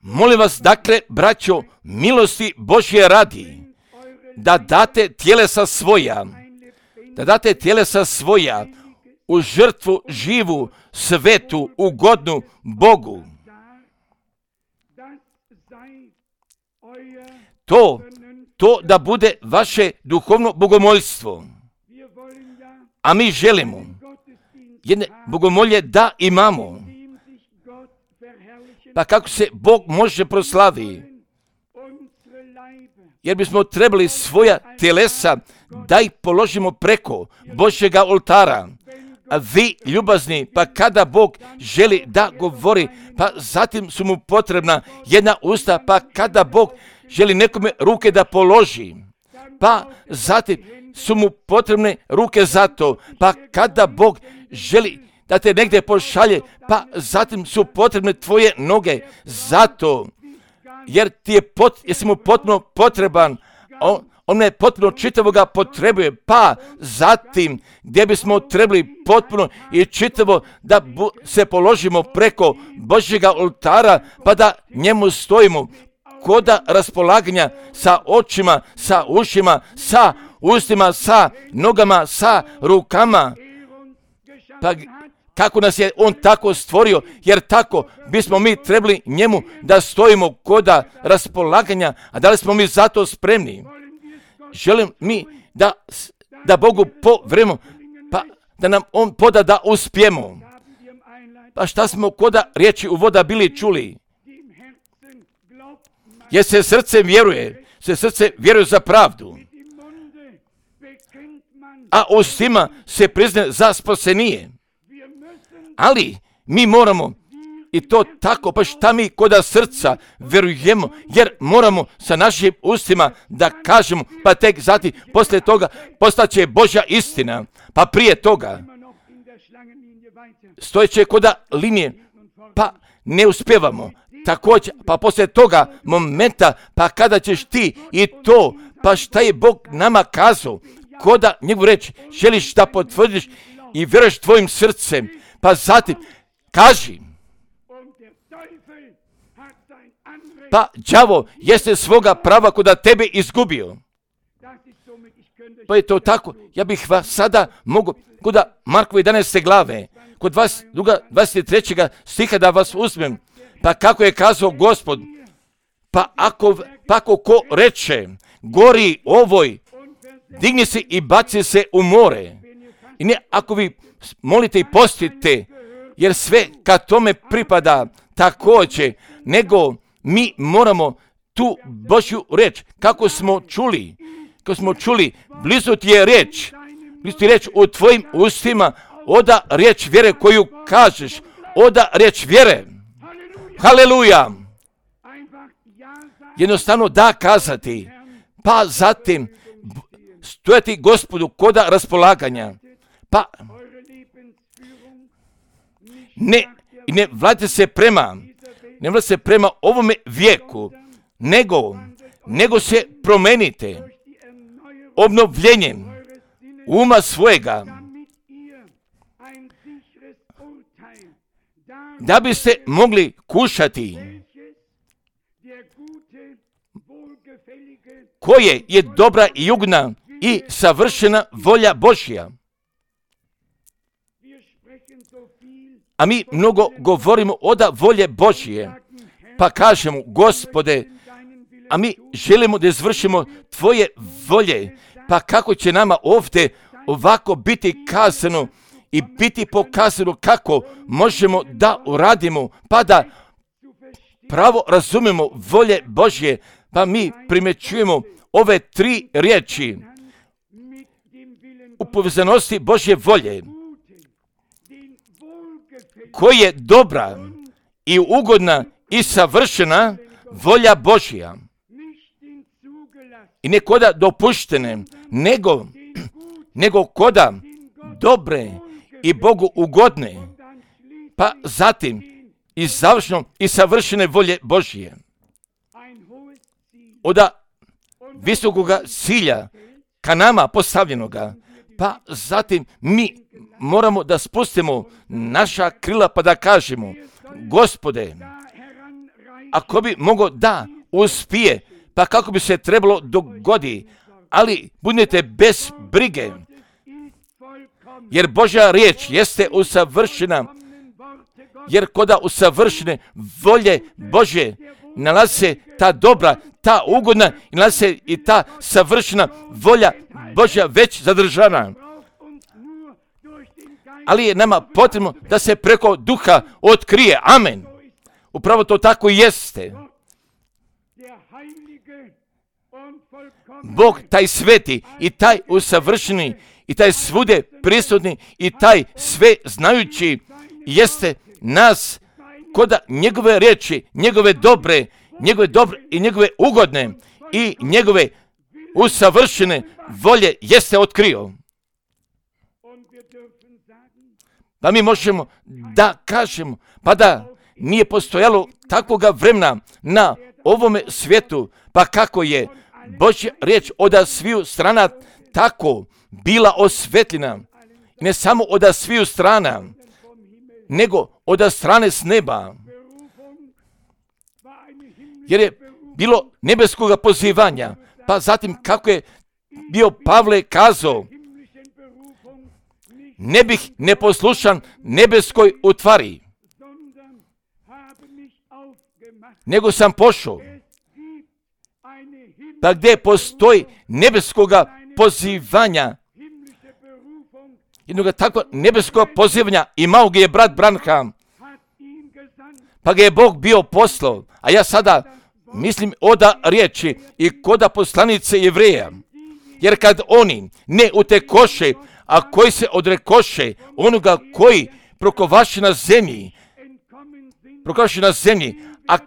Molim vas, dakle, braćo, milosti Božje radi, da date tjelesa svoja u žrtvu živu, svetu, ugodnu Bogu. To da bude vaše duhovno bogomoljstvo. A mi želimo jedne bogomolje da imamo. Pa kako se Bog može proslaviti? Jer bismo trebali svoja telesa da ih položimo preko Božjega oltara. A vi, ljubazni, pa kada Bog želi da govori, pa zatim su mu potrebna jedna usta, pa kada Bog želi nekome ruke da položi, pa zatim su mu potrebne ruke za to, pa kada Bog želi da te negdje pošalje, pa zatim su potrebne tvoje noge za to, jer jesi mu potpuno potreban, on me potpuno čitavoga potrebuje, pa zatim gdje bismo trebali potpuno i čitavo da se položimo preko Božjega oltara, pa da njemu stojimo koda raspolaganja sa očima, sa ušima, sa ustima, sa nogama, sa rukama. Pa kako nas je on tako stvorio, jer tako bismo mi trebali njemu da stojimo koda raspolaganja, a da li smo mi za to spremni? Želim mi da Bogu povremo, pa da nam on poda da uspijemo. Pa šta smo koda riječi u voda bili čuli? Jer se srce vjeruje za pravdu, a ustima se priznaje za spasenije. Ali mi moramo i to tako, pa šta mi koda srca vjerujemo, jer moramo sa našim ustima da kažemo, pa tek zatim poslije toga postaće Božja istina, pa prije toga stojeće koda linije, pa ne uspjevamo. Također, pa poslije toga momenta, pa kada ćeš ti i to, pa šta je Bog nama kazao, koda njegovu reći, želiš da potvrdiš i vjeruješ tvojim srcem, pa zatim kaži. Pa đavo jeste svoga prava koda tebe izgubio. Pa je to tako, ja bih vas sada mogao koda Markove 11. glave, kod 23. stiha da vas uzmem. Pa kako je kazao Gospod, pa ako ko reče, gori ovoj, digni se i baci se u more. I ne ako vi molite i postite, jer sve kad tome pripada također, nego mi moramo tu Božju reč, kako smo čuli, blizu ti je reč u tvojim ustima, oda riječ vjere koju kažeš, oda riječ vjere. Haleluja! Jednostavno da kazati, pa zatim stojati Gospodu koda raspolaganja, pa ne vladite se prema ovome vijeku, nego se promenite obnovljenjem uma svojega, da biste mogli kušati koje je dobra i ugodna i savršena volja Božja. A mi mnogo govorimo od volje Božje, pa kažemo, Gospode, a mi želimo da izvršimo Tvoje volje, pa kako će nama ovdje ovako biti kazano i biti pokazano kako možemo da uradimo, pa da pravo razumemo volje Božje, pa mi primjećujemo ove 3 riječi u povezanosti Božje volje, koja je dobra i ugodna i savršena volja Božja. I ne koda dopuštene, nego koda dobre i Bogu ugodne, pa zatim i završno i savršene volje Božje. Od visokoga cilja ka nama postavljenoga, pa zatim mi moramo da spustimo naša krila pa da kažemo, Gospode, ako bi mogo da uspije, pa kako bi se trebalo dogodi, ali budete bez brige, jer Božja riječ jeste usavršena, jer koda usavršene volje Božje nalazi se ta dobra, ta ugodna i nalazi se i ta savršena volja Božja već zadržana. Ali je nama potrebno da se preko duha otkrije. Amen. Upravo to tako jeste. Bog taj sveti i taj usavršeni i taj svude prisutni i taj sve znajući jeste nas koda njegove riječi, njegove dobre i njegove ugodne i njegove usavršene volje jeste otkrio. Pa mi možemo da kažemo, pa da nije postojalo takvoga vremena na ovome svijetu, pa kako je Božja riječ od sviju strana tako bila osvetljena, ne samo od sviju strana, nego od strane s neba. Jer je bilo nebeskoga pozivanja, pa zatim kako je bio Pavle kazao, ne bih neposlušan nebeskoj utvari, nego sam pošao. Pa gdje postoji nebeskoga pozivanja, jednog takvog nebeskog pozivanja imao ga je brat Branham, pa ga je Bog bio poslao, a ja sada mislim oda riječi i koda poslanice Jevreja, jer kad oni ne utekoše, a koji se odrekoše onoga koji prokovaše na zemlji, a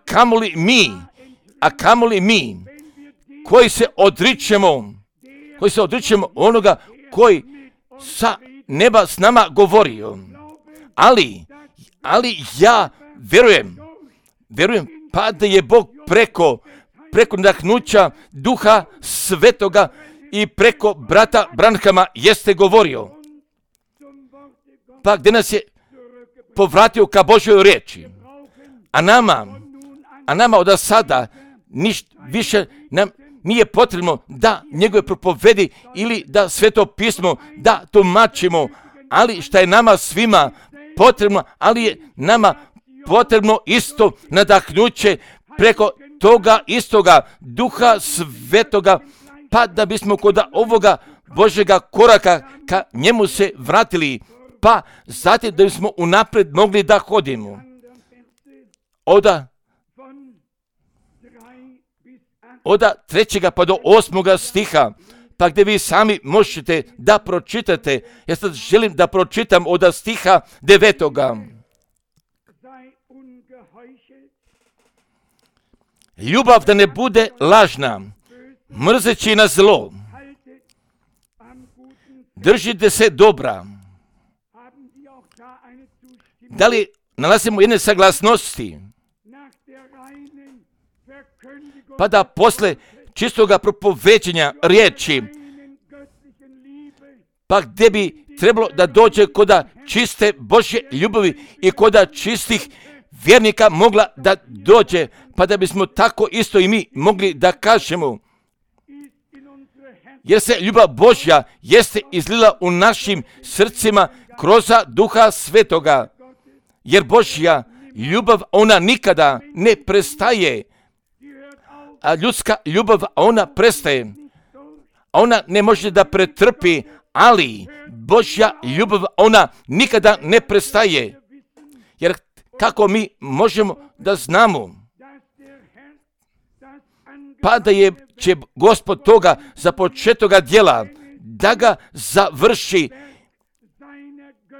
kamoli mi, koji se odričemo onoga koji sa neba s nama govorio. Ali ja verujem pa da je Bog preko nadahnuća Duha Svetoga i preko brata Branhama jeste govorio. Pa gdje nas je povratio ka Božjoj riječi. A nama od sada ništa više nam nije potrebno da njegove propovedi ili da Sveto pismo da tumačimo, ali šta je nama svima potrebno, ali je nama potrebno isto nadahnuće preko toga istoga Duha Svetoga, pa da bismo kod ovoga Božjega koraka ka njemu se vratili, pa zatim da bismo unaprijed mogli da hodimo. Od 3. pa do 8. stiha, pa gdje vi sami možete da pročitate. Ja sad želim da pročitam od stiha 9. ljubav da ne bude lažna, mrzeći na zlo. Držite se dobra. Da li nalazimo jedne saglasnosti? Pa da posle čistoga propoveđenja riječi, pa gdje bi trebalo da dođe koda čiste Božje ljubavi i koda čistih vjernika mogla da dođe, pa da bismo tako isto i mi mogli da kažemo, jer se ljubav Božja jeste izlila u našim srcima kroz Duha Svetoga, jer Božja ljubav, ona nikada ne prestaje, a ljudska ljubav, ona prestaje, ona ne može da pretrpi, ali Božja ljubav, ona nikada ne prestaje, jer kako mi možemo da znamo, pa da će Gospod toga započetoga djela da ga završi,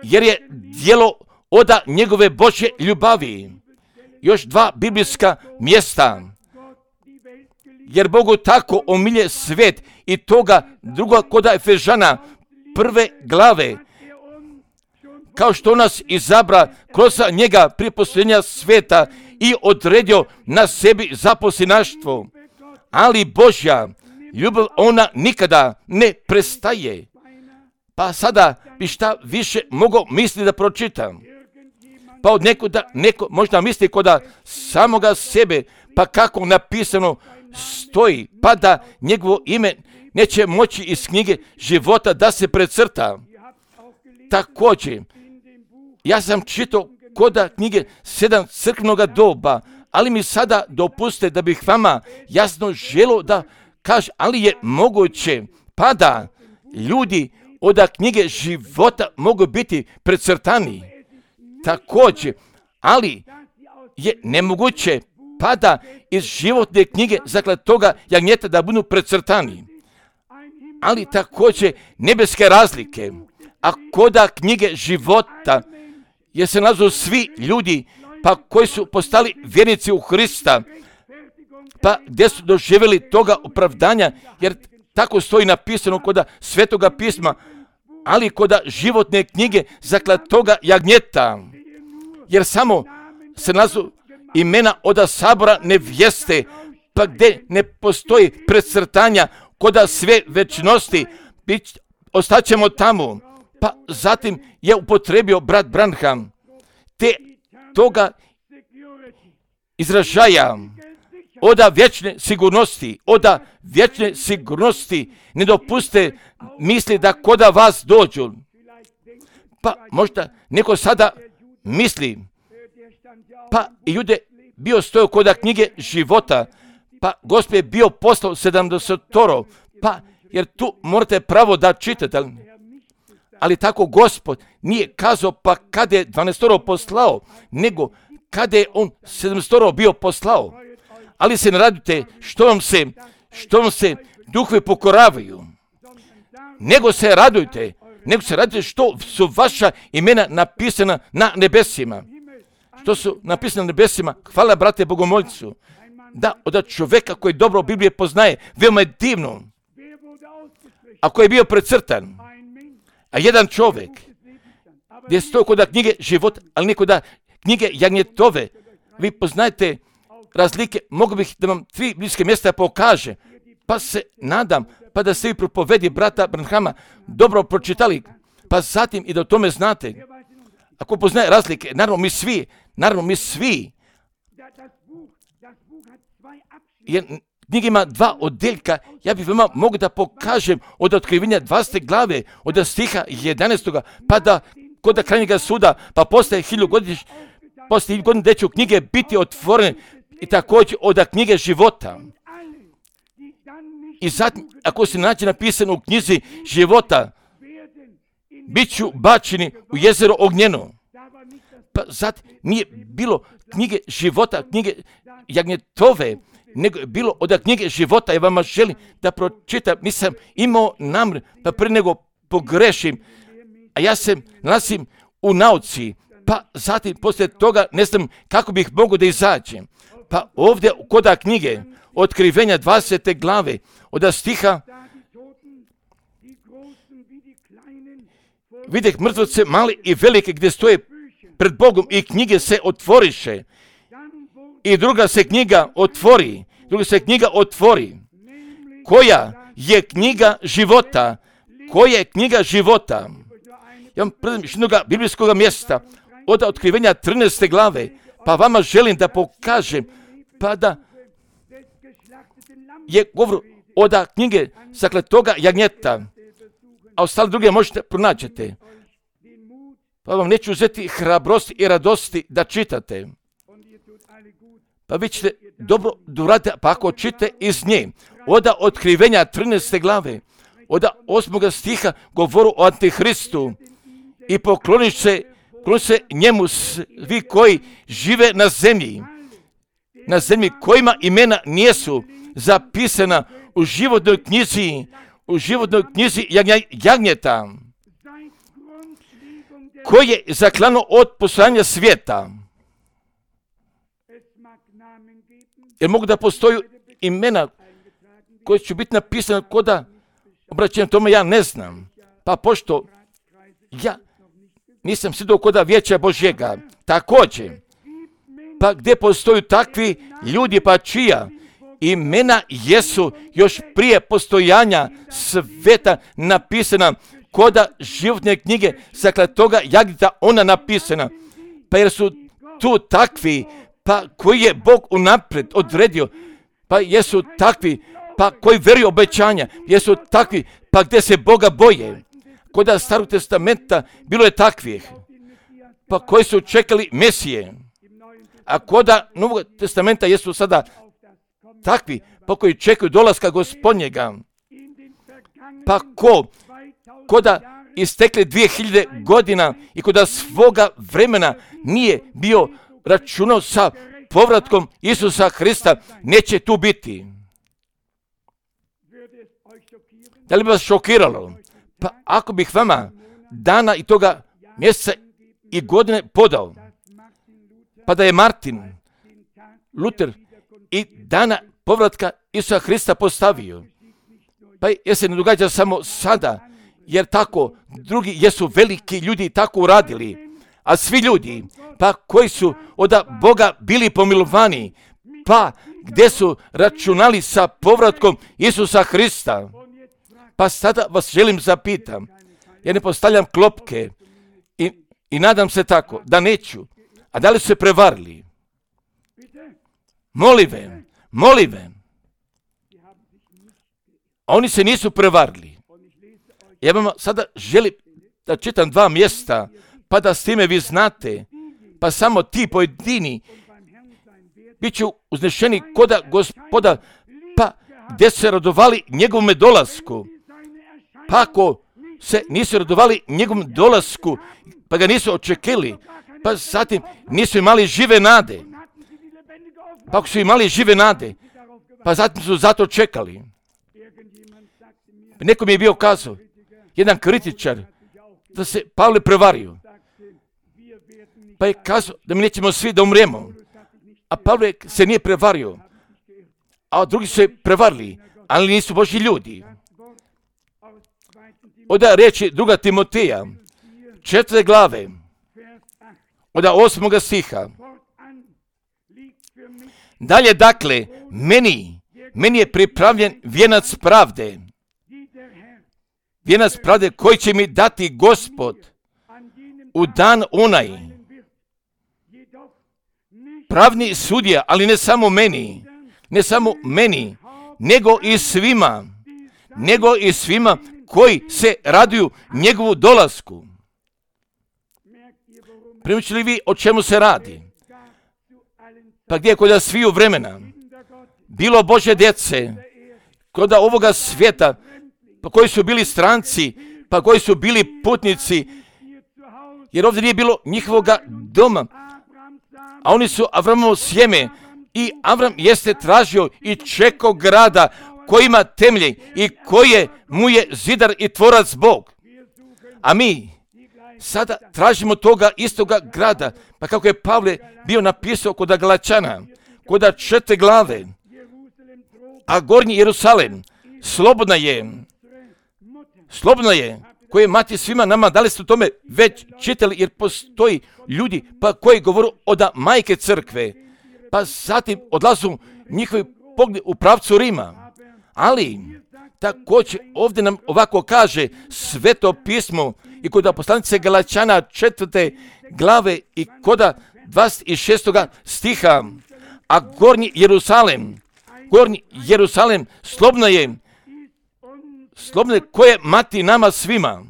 jer je djelo oda njegove Božje ljubavi. Još dva biblijska mjesta. Jer Bogu tako omilje svijet i toga druga koda Efežana 1. glave, kao što nas izabra kroz njega prije postojanja svijeta i odredio na sebi zaposlinaštvo. Ali Božja ljubav, ona nikada ne prestaje. Pa sada bi šta više mogao misliti da pročitam. Pa od neko možda misli koda samoga sebe, pa kako napisano stoji, pa da njegovo ime neće moći iz knjige života da se precrta. Također, ja sam čitao koda knjige 7 crkvenoga doba, ali mi sada dopuste da bih vama jasno želio da kažem, ali je moguće pa da ljudi od knjige života mogu biti precrtani. Također, ali je nemoguće pa da iz životne knjige zakletoga jagnjeta da budu precrtani. Ali također nebeske razlike, a koda knjige života jer se nalazu svi ljudi pa koji su postali vjernici u Hrista, pa gdje su doživjeli toga opravdanja, jer tako stoji napisano koda Svetoga pisma, ali koda životne knjige zakletoga jagnjeta, jer samo se nalazu imena oda sabora nevjeste, pa gdje ne postoji precrtanja koda sve večnosti, ostaćemo tamo. Pa zatim je upotrebio brat Branham te toga izražaja oda vječne sigurnosti ne dopuste misli da koda vas dođu. Pa možda neko sada misli, pa i Jude bio stojao koda knjige života, pa Gospod je bio poslao 70, pa jer tu morate pravo da čitate. Ali tako Gospod nije kazao pa kada je 12 poslao, nego kada je on 700 bio poslao. Ali se ne radite što vam se duhovi pokoravaju, nego se radujte što su vaša imena napisana na nebesima. Što su napisane na nebesima, hvala brate Bogomolcu, da od čovjeka koji dobro Biblije poznaje, veoma je divno, a koji je bio precrtan. A jedan čovjek, gdje stoji kod knjige života, ali ne kod knjige jagnjetove, vi poznajete razlike, mogu bih da vam 3 bliske mjesta pokaže, pa se nadam, pa da ste vi propovedi brata Branhama dobro pročitali, pa zatim i da o tome znate. Ako poznaje razlike, naravno mi svi, jer knjiga ima 2 odjeljka, ja bih vam mogu da pokažem od otkrivenja 20. glave, od stiha 11. pa da kod krajnjega suda, pa poslije 1000 godina gdje će knjige biti otvorene i također od knjige života. I zatim, ako se nađe napisano u knjizi života, bit ću bačeni u jezero ognjeno. Pa zatim nije bilo knjige života, knjige jagnjetove, nego je bilo od knjige života. Ja vama želim da pročitam, nisam imao namjer, pa prije nego pogrešim, a ja se nalazim u nauci, pa zatim poslije toga ne znam kako bih mogao da izađem. Pa ovdje koda knjige Otkrivenja 20. glave od stiha vidjeh mrtvoce mali i velike gdje stoje pred Bogom i knjige se otvoriše. I druga se knjiga otvori. Koja je knjiga života? Koja je knjiga života? Ja vam predam iz jednog biblijskog mjesta od Otkrivenja 13. glave, pa vama želim da pokažem, pa da je govor od knjige zakletoga jagnjeta, a ostale druge možete pronaćete. Pa vam neću uzeti hrabrosti i radosti da čitate. Pa vi ćete dobro uraditi, pa ako čite iz nje, od Otkrivenja 13. glave, od 8. stiha govoru o Antihristu i pokloniš se njemu svi koji žive na zemlji kojima imena nijesu zapisana u životnoj knjizi jagnjeta, koje je zaklano od postojanja svijeta. Jer mogu da postoju imena koje će biti napisane koda obraćenja tome, ja ne znam. Pa pošto ja nisam sjedao koda Vijeća Božjega, također, pa gdje postoju takvi ljudi, pa čija imena jesu još prije postojanja sveta napisana koda životne knjige zakletoga jagnjeta, ona napisana. Pa jer su tu takvi, pa koji je Bog unaprijed odredio, pa jesu takvi, pa koji vjeruju obećanja, jesu takvi, pa gdje se Boga boje. Koda Starog testamenta bilo je takvih, pa koji su čekali Mesije, a koda Novog testamenta jesu sada takvi, pa koji čekaju dolaska Gospodnjega. Pa koda istekli 2000 godina i koda svoga vremena nije bio računao sa povratkom Isusa Hrista, neće tu biti. Da li bi vas šokiralo? Pa ako bih vama dana i toga mjeseca i godine podao, pa da je Martin Luther i dana povratka Isusa Hrista postavio, pa jer se ne događa samo sada, jer tako drugi jesu veliki ljudi tako uradili, a svi ljudi, pa koji su od Boga bili pomilovani, pa gdje su računali sa povratkom Isusa Hrista. Pa sada vas želim zapitam, ja ne postavljam klopke i nadam se tako da neću, a da li su se prevarili? Molim vam. A oni se nisu prevarili. Ja vam sada želim da čitam 2 mjesta, pa da s time vi znate, pa samo ti pojedini bit će uznešeni koda Gospoda, pa gdje se radovali njegovome dolasku. Pa ako se nisu radovali njegovom dolasku, pa ga nisu očekili, pa zatim nisu imali žive nade. Pa ako su imali žive nade, pa zatim su zato čekali. Neko mi je bio kazao, jedan kritičar, da se Pavle prevario. Pa je kazao da mi nećemo svi da umremo. A Pavle se nije prevario, a drugi su se prevarili, ali nisu Božji ljudi. Od riječi 2. Timoteja, 4. glave, od 8. stiha. Dalje, dakle, meni je pripravljen vijenac pravde. Vijenac pravde koji će mi dati Gospod u dan onaj. Pravni sudija, ali ne samo meni, nego i svima koji se raduju njegovu dolasku. Primičili li vi o čemu se radi? Pa gdje je kod sviju vremena bilo Božje djece, kod ovoga svijeta, pa koji su bili stranci, pa koji su bili putnici, jer ovdje nije bilo njihovoga doma, a oni su Avramovo sjeme i Avram jeste tražio i čekao grada koji ima temelje i koje mu je zidar i tvorac Bog. A mi sada tražimo toga istoga grada, pa kako je Pavle bio napisao kod Galačana, koda 4 glave, a gornji Jerusalem slobodna je, koje mati svima nama. Da li ste o tome već čitali, jer postoji ljudi pa koji govoru od majke crkve, pa zatim odlazu njihovi pogled u pravcu Rima. Ali također ovdje nam ovako kaže Sveto pismo i kod poslanice Galačana 4. glave i koda 26. stiha, a gornji Jerusalem slobodno je koje mati nama svima,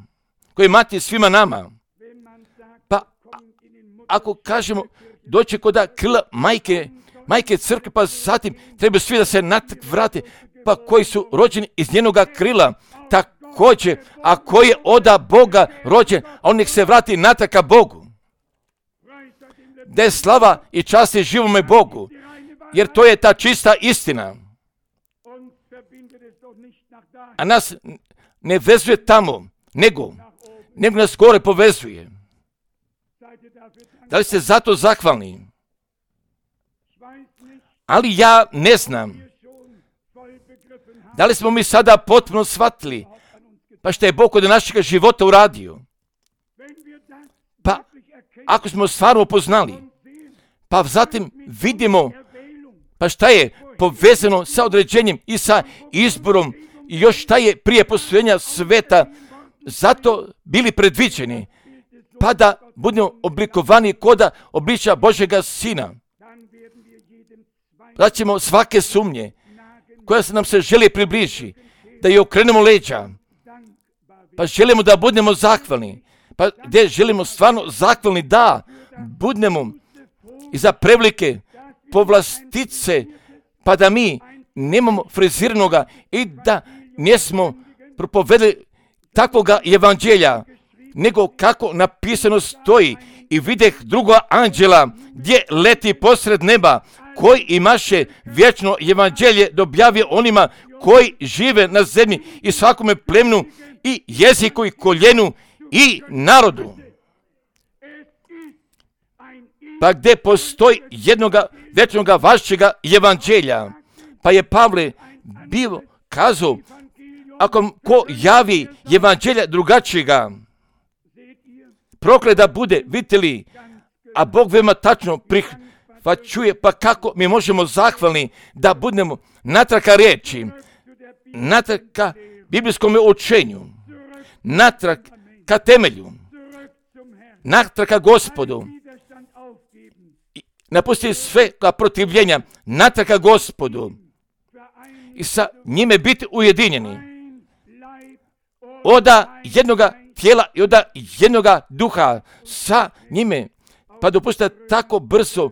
koje mati svima nama. Pa ako kažemo doći koda krila majke crkve, pa zatim treba svi da se natrag vrate, pa koji su rođeni iz njenoga krila, također, a koji je oda Boga rođen, a on nek se vrati natrag ka Bogu. Da je slava i čast je živome Bogu, jer to je ta čista istina. A nas ne vezuje tamo, nego nas gore povezuje. Da li ste zato zahvalni? Ali ja ne znam. Da li smo mi sada potpuno shvatili pa što je Bog od našeg života uradio? Pa ako smo stvarno upoznali, pa zatim vidimo pa šta je povezano sa određenjem i sa izborom i još šta je prije postojanja sveta zato bili predviđeni, pa da budemo oblikovani koda obličja Božjega Sina. Da ćemo svake sumnje koja se nam se želi približi, da je okrenemo leđa, pa želimo da budemo zahvalni, pa gdje želimo stvarno zahvalni da budemo i za prevelike povlastice, pa da mi nemamo friziranoga i da nismo propovedali takvoga evanđelja, nego kako napisano stoji, i videh drugo anđela gdje leti posred neba, koji imaše vječno evanđelje da objavio onima koji žive na zemlji i svakome plemenu i jeziku i koljenu i narodu. Pa gdje postoji jednoga vječnoga vašega evanđelja, pa je Pavle bio kazao, ako ko javi evanđelja drugačijega, proklet da bude, vidite li, a Bog veoma tačno prihvaćuje, pa kako mi možemo zahvalni da budemo natrag ka riječi, natrag ka biblijskom učenju, natrag ka temelju, natrag ka Gospodu, napustiti sve ka protivljenja, natrag ka Gospodu i sa njime biti ujedinjeni oda jednoga tijela i oda jednoga duha sa njime. Pa dopustite tako brzo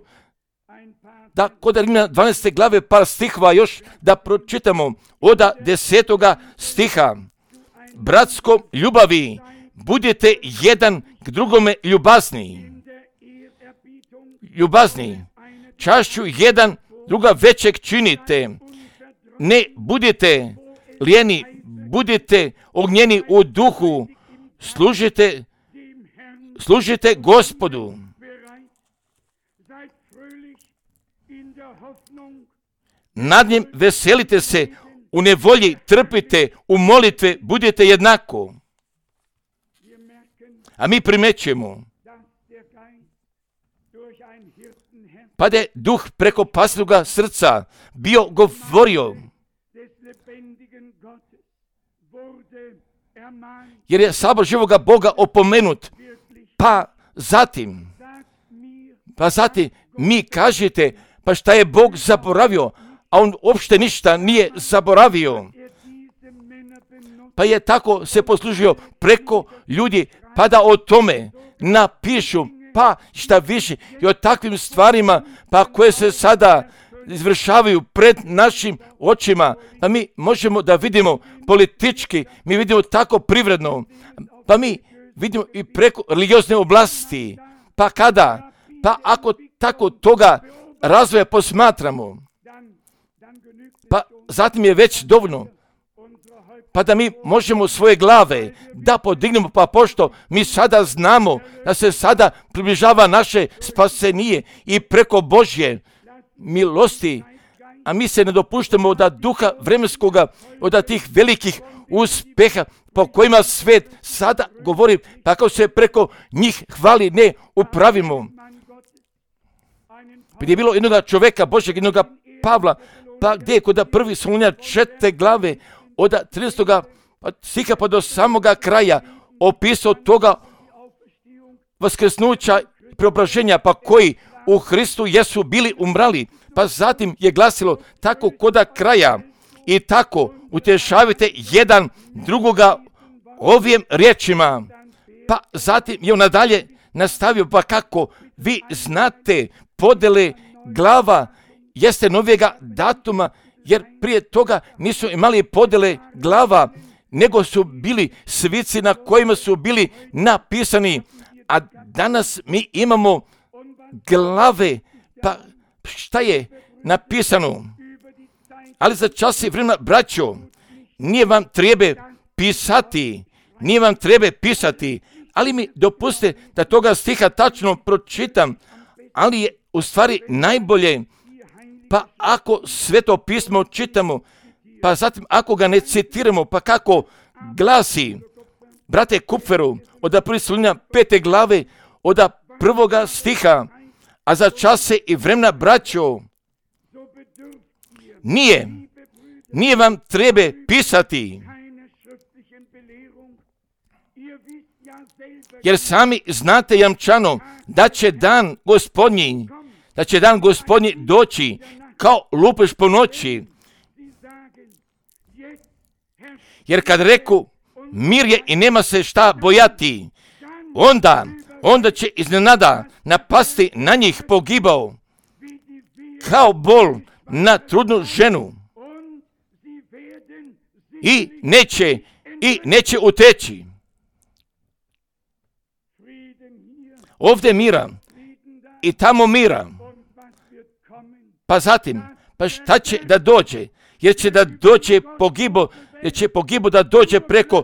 da kod Rimljana 12. glave par stihova još da pročitamo oda 10. stiha. Bratskom ljubavi budete jedan k drugome ljubazni, čašću jedan druga većeg činite, ne budite lijeni, budite ognjeni u duhu, služite Gospodu. Nad njim veselite se, u nevolji trpite, u molitve budete jednako. A mi primećujemo pa da je duh preko pasnoga srca bio govorio, jer je sabor živoga Boga opomenut, pa zatim mi kažete, pa šta je Bog zaboravio, a on uopšte ništa nije zaboravio. Pa je tako se poslužio preko ljudi, pa da o tome napišu, pa šta više i o takvim stvarima, pa koje se sada izvršavaju pred našim očima, pa mi možemo da vidimo politički, mi vidimo tako privredno, pa mi vidimo i preko religiozne oblasti, pa kada, pa ako tako toga razvoja posmatramo, pa zatim je već dovoljno, pa da mi možemo svoje glave da podignemo, pa pošto mi sada znamo da se sada približava naše spasenije i preko Božje milosti, a mi se ne dopuštamo da duha vremenskoga, od tih velikih uspeha po kojima svet sada govori, pa kako se preko njih hvali, ne upravimo. Gdje je bilo jednoga čoveka Božeg, jednoga Pavla, pa gdje je kod 1. Solunjana 4. glave, od 30. stiha pa do samoga kraja, opisao toga vaskrsnuća i preobraženja, pa koji u Hristu jesu bili umrali. Pa zatim je glasilo tako koda kraja i tako utješavajte jedan drugoga ovim riječima. Pa zatim je on nadalje nastavio, pa kako vi znate podele glava jeste novijega datuma, jer prije toga nisu imali podele glava, nego su bili svici na kojima su bili napisani, a danas mi imamo glave. Pa šta je napisano? Ali za čas i vremena, braćo, nije vam treba pisati, ali mi dopustite da toga stiha tačno pročitam, ali je u stvari najbolje, pa ako Sveto pismo čitamo, pa zatim ako ga ne citiramo, pa kako glasi, brate Kupferu, od 1. Solunjana 5. glave, od 1. stiha, a za čase i vremena, braćo, nije vam treba pisati, jer sami znate jamčano da će dan Gospodnji doći kao lupež po noći. Jer kad reku mir je i nema se šta bojati, onda će iznenada napasti na njih pogibao, kao bol na trudnu ženu, i neće uteći. Ovdje mira i tamo mira. Pa zatim, pa šta će da dođe? Jer će da dođe pogibo da dođe preko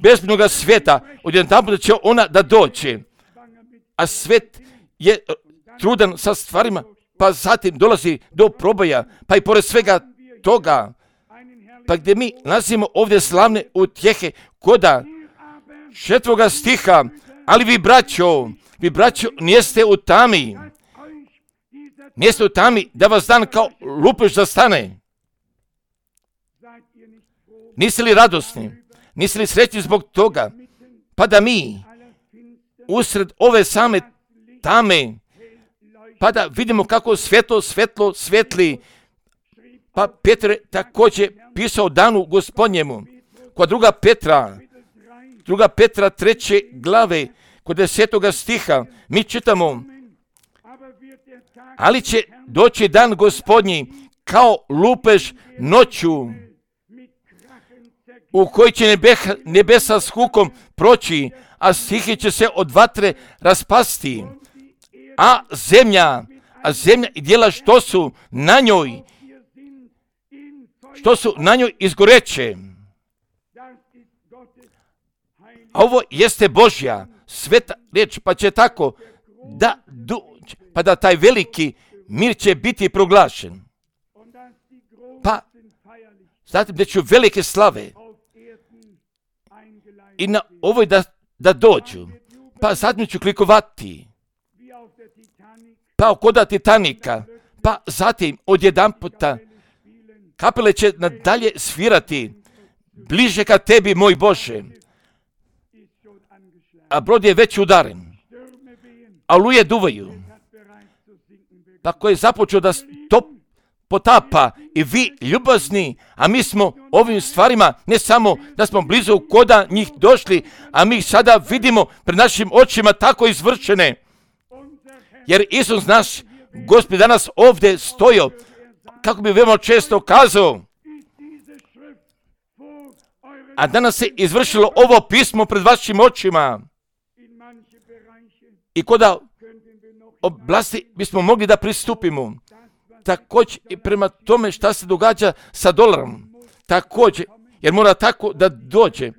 bezbjednoga svijeta. Odjedanput će ona da dođe. A svijet je trudan sa stvarima, pa zatim dolazi do proboja, pa i pored svega toga, pa gdje mi nalazimo ovdje slavne utjehe koda 4. stiha, ali vi braćo, nijeste u tami da vas dan kao lupež zastane. Niste li radosni? Niste li srećni zbog toga? Pa da mi usred ove same tame, pa da vidimo kako svetlo svetli. Pa Petar je također pisao danu Gospodnjemu. Kod 2. Petra 3. glave, kod 10. stiha, mi čitamo, ali će doći dan Gospodnji kao lupež noću, u koji će nebesa s hukom proći, a stihi će se od vatre raspasti, a zemlja i djela što su na njoj izgoreće. A ovo jeste Božja sveta riječ, pa će tako pa da taj veliki mir će biti proglašen. Pa zatim da će velike slave i na ovoj da dođu, pa zatim ću klikovati, pa koda Titanika, pa zatim odjedanputa kapele će nadalje svirati, bliže ka tebi, moj Bože, a brod je već udaren, a oluje duvaju, pa ko je započeo da potapa i vi ljubazni, a mi smo ovim stvarima ne samo da smo blizu koda njih došli, a mi sada vidimo pred našim očima tako izvršene, jer Isus naš Gospod danas ovdje stojio, kako bi veoma često kazao, a danas se izvršilo ovo pismo pred vašim očima. I koda oblasti bismo mogli da pristupimo. Također i prema tome šta se događa sa dolarom. Također, jer mora tako da dođe.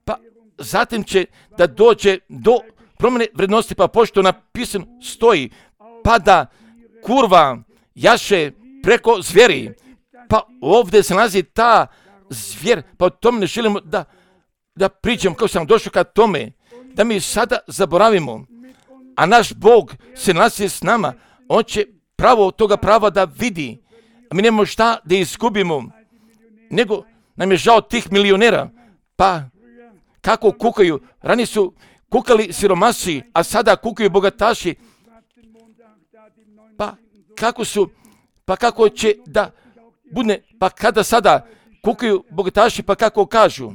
Pa zatim će da dođe do promjene vrednosti, pa pošto napisano stoji, pa da kurva jaše preko zvijeri. Pa ovdje se nalazi ta zvijer, pa o tome ne želimo da pričam kako sam došao ka tome, da mi sada zaboravimo. A naš Bog se nalazi s nama, on će pravo toga prava da vidi. A mi nemamo šta da izgubimo, nego nam je žao tih milionera. Pa kako kukaju, ranije su kukali siromasi, a sada kukaju bogataši. Pa kako će da bude, pa kada sada kukaju bogataši, pa kako kažu.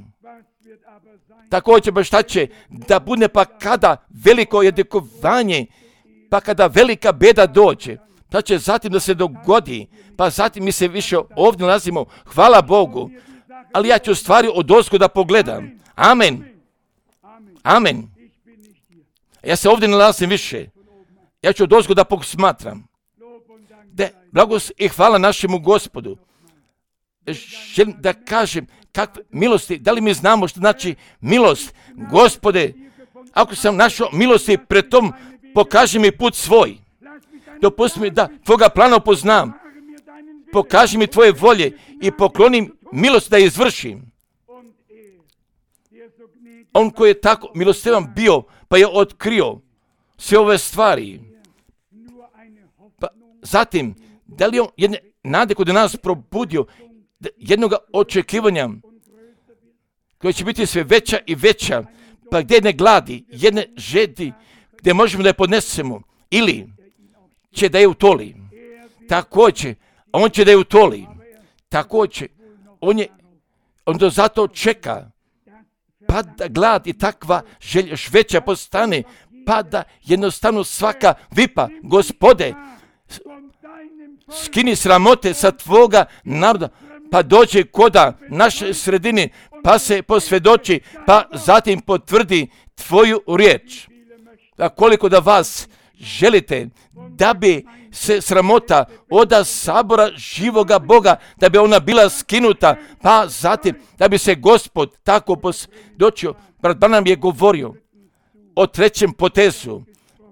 Također pa šta će da bude, pa kada veliko jedikovanje, pa kada velika beda dođe, pa će zatim da se dogodi, pa zatim mi se više ovdje nalazimo, hvala Bogu, ali ja ću stvari odozgo da pogledam. Amen. Amen. Ja se ovdje nalazim više. Ja ću odozgo da posmatram. Blagost i hvala našemu Gospodu. Želim da kažem kakve milosti, da li mi znamo što znači milost? Gospode, ako sam našao milosti pred tom, pokaži mi put svoj. Dopusti mi da tvoga plana upoznam. Pokaži mi tvoje volje i poklonim milost da izvršim. On koji je tako milostivan bio, pa je otkrio sve ove stvari. Pa zatim, da li on jedne nade kod nas probudio, jednog očekivanja koja će biti sve veća i veća, pa gdje ne gladi, jedne žedi, gdje možemo da je podnesemo, ili će da je utoli. Također, on će da je utoli. Također, on do zato čeka, pa da glad i takva želja još veća postane, pa da jednostavno svaka vipa, Gospode, skini sramote sa tvoga naroda, pa dođe koda naše sredine, pa se posvjedoči, pa zatim potvrdi tvoju riječ. A koliko da vas želite da bi se sramota oda sabora živoga Boga, da bi ona bila skinuta, pa zatim da bi se Gospod tako posvjedočio. Brat Branham je govorio o trećem potezu,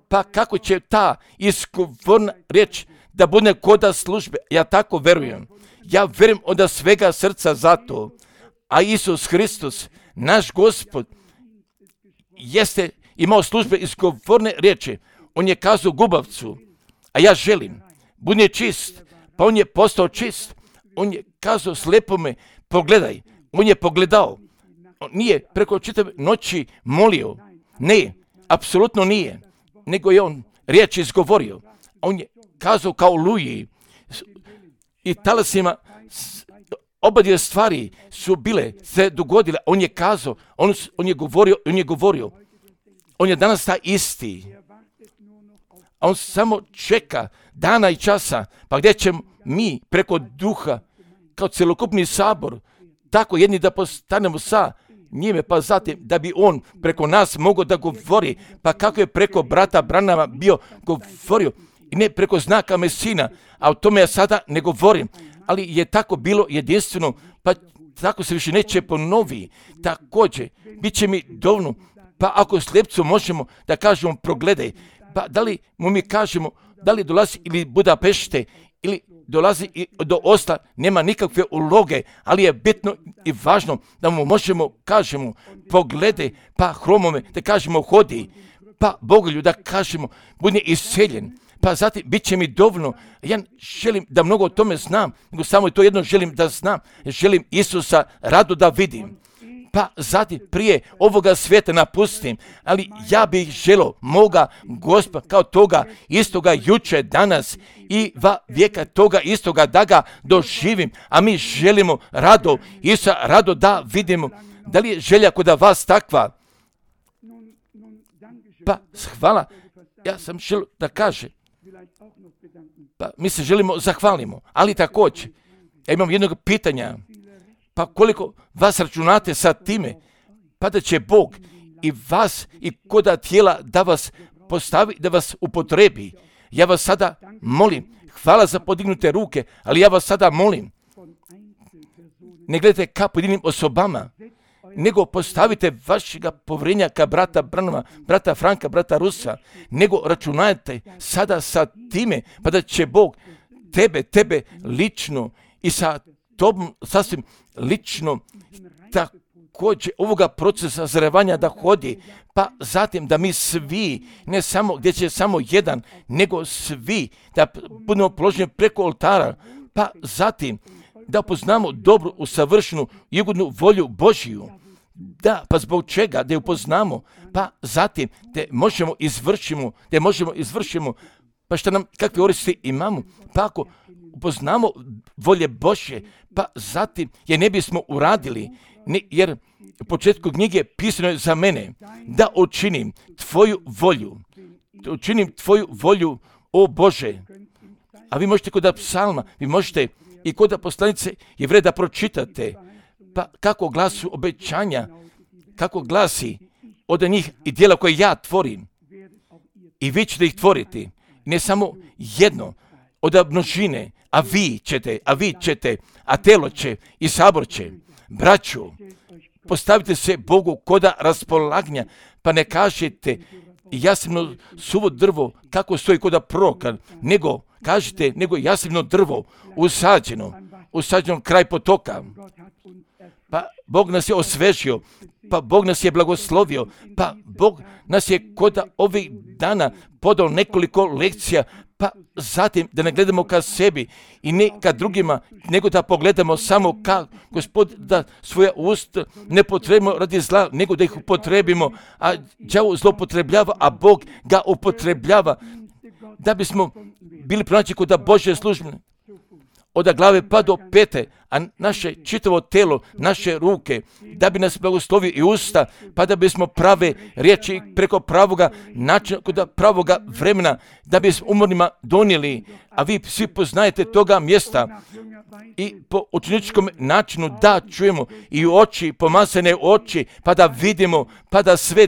pa kako će ta izgovorna riječ da bude koda službe. Ja tako verujem. Ja verujem od svega srca za to. A Isus Hristos, naš Gospod, jeste imao službe izgovorne riječi. On je kazao gubavcu, a ja želim, budi čist. Pa on je postao čist. On je kazao slepome, pogledaj. On je pogledao. On nije preko čitave noći molio. Ne, apsolutno nije. Nego je on riječ izgovorio. On je kazao kao Luji i talasima, oba dvije stvari su bile, se dogodile. On je kazao, on je govorio. On je danas ta isti. A on samo čeka dana i časa, pa gdje ćemo mi preko duha, kao celokupni sabor, tako jedni da postanemo sa njime, pa zatim da bi on preko nas mogao da govori, pa kako je preko brata Branhama bio govorio, i ne preko znaka Mesina, a o tome ja sada ne govorim, ali je tako bilo jedinstveno, pa tako se više neće ponovi. Također, bit će mi dovoljno, pa ako slijepcu možemo da kažemo progledaj, pa da li mu mi kažemo, da li dolazi ili Budapešte, ili dolazi i do Osla, nema nikakve uloge, ali je bitno i važno da mu možemo, kažemo, pogledaj, pa hromome, da kažemo hodi, pa Bogolju da kažemo, bude iseljen, pa zatim bit će mi dovoljno. Ja želim da mnogo o tome znam, nego samo to jedno želim da znam, želim Isusa rado da vidim. Pa zatim prije ovoga svijeta napustim, ali ja bih želio moga Gospoda kao toga istoga juče, danas i va vijeka toga istoga da ga doživim, a mi želimo rado Isusa rado da vidimo. Da li je želja kod vas takva? Pa hvala, ja sam želio da kažem, pa mi se želimo zahvalimo, ali također ja imam jednog pitanja. Pa koliko vas računate sa time, pa da će Bog i vas i koda tijela da vas postavi, da vas upotrebi. Ja vas sada molim, hvala za podignute ruke, ali ja vas sada molim, ne gledajte ka pojedinim osobama, nego postavite vašega povjerenja brata Branhama, brata Franka, brata Rusa, nego računajte sada sa time, pa da će Bog tebe lično i sa tobom sasvim lično također ovoga procesa zrevanja da hodi, pa zatim da mi svi, ne samo gdje će samo jedan, nego svi da budemo položeni preko oltara, pa zatim da upoznamo dobru, usavršenu i ugodnu volju Božiju. Da, pa zbog čega? Da je upoznamo, pa zatim da možemo izvršimo, pa šta nam, kakve koristi imamo, pa ako upoznamo volje Božje, pa zatim je ne bismo uradili, jer u početku knjige pisano je za mene da učinim tvoju volju, o Bože. A vi možete kod psalma, vi možete i kod poslanice Jevreja da pročitate, pa kako glasu obećanja, kako glasi od njih i djela koje ja tvorim. I vi ćete ih tvoriti, ne samo jedno, od množine, a vi ćete, a telo će i sabor će. Braću, postavite se Bogu koda raspolaganja, pa ne kažete jasno suvo drvo kako stoji koda proroka, nego kažete, nego jasno drvo usađeno kraj potoka. Pa Bog nas je osvežio, pa Bog nas je blagoslovio, pa Bog nas je koda ovih dana podao nekoliko lekcija, pa zatim da ne gledamo ka sebi i ne ka drugima, nego da pogledamo samo ka Gospod, da svoja usta ne potrebimo radi zla, nego da ih upotrebimo, a đavo zloupotrebljava, a Bog ga upotrebljava, da bismo bili pronaći kod Božje službe, od glave pa do pete, a naše čitavo telo, naše ruke, da bi nas blagoslovio i usta, pa da bismo prave riječi preko pravoga načina, kod pravoga vremena, da bismo umornima donijeli, a vi svi poznajete toga mjesta i po učeničkom načinu da čujemo i oči, pomazane oči, pa da vidimo, pa da sve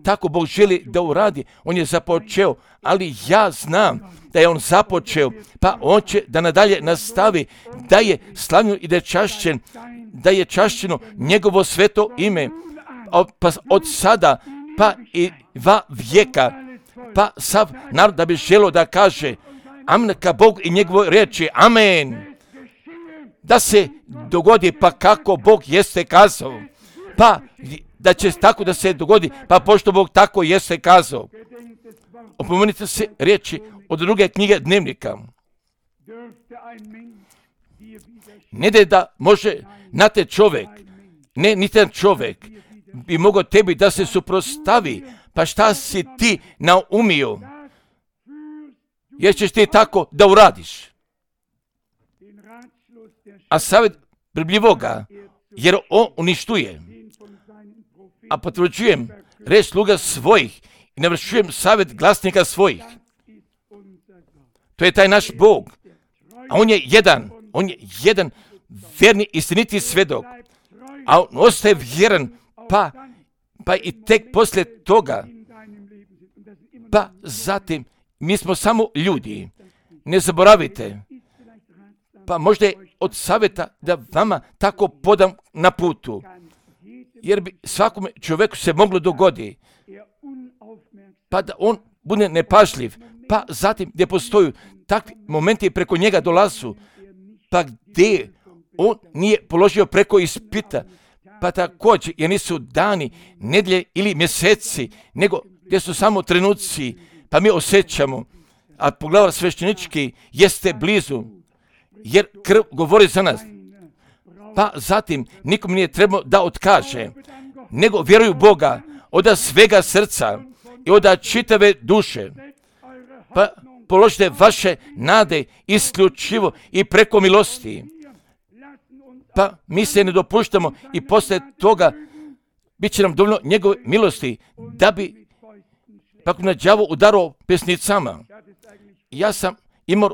tako Bog želi da uradi. On je započeo, ali ja znam da je on započeo, pa on će da nadalje nastavi, da je slavljen i da je čašćeno njegovo sveto ime, pa od sada, pa i va vijeka, pa sav narod da bi želio da kaže amen ka Bog i njegovoj riječi, amen. Da se dogodi, pa kako Bog jeste kazao, pa da će tako da se dogodi, pa pošto Bog tako jeste kazao. Opomenite se riječi od druge knjige Dnevnika. Ne da može niti jedan čovjek bi mogao tebi da se suprotstavi, pa šta si ti naumio, jer ćeš ti tako da uradiš. A savjet brbljivoga, jer on uništuje, a potvrđujem reč sluga svojih i navršujem savjet glasnika svojih. To je taj naš Bog, a on je jedan vjerni istiniti svjedok, a on ostaje vjeran, pa i tek poslije toga, pa zatim mi smo samo ljudi, ne zaboravite, pa možda je od savjeta da vama tako podam na putu, jer bi svakome čovjeku se moglo dogodi, pa da on bude nepažljiv, pa zatim gdje postoju takvi momenti preko njega dolazu, pa gdje on nije položio preko ispita, pa također jer nisu dani, nedjelje ili mjeseci, nego gdje su samo trenuci, pa mi osjećamo, a poglavar sveštenički jeste blizu, jer krv govori za nas. Pa zatim nikom nije trebalo da otkaže, nego vjeruju Boga od svega srca i od čitave duše. Pa položite vaše nade isključivo i preko milosti. Pa mi se ne dopuštamo i poslije toga bit će nam dovoljno njegove milosti da bi kako na đavo udarao pesnicama. Ja sam imao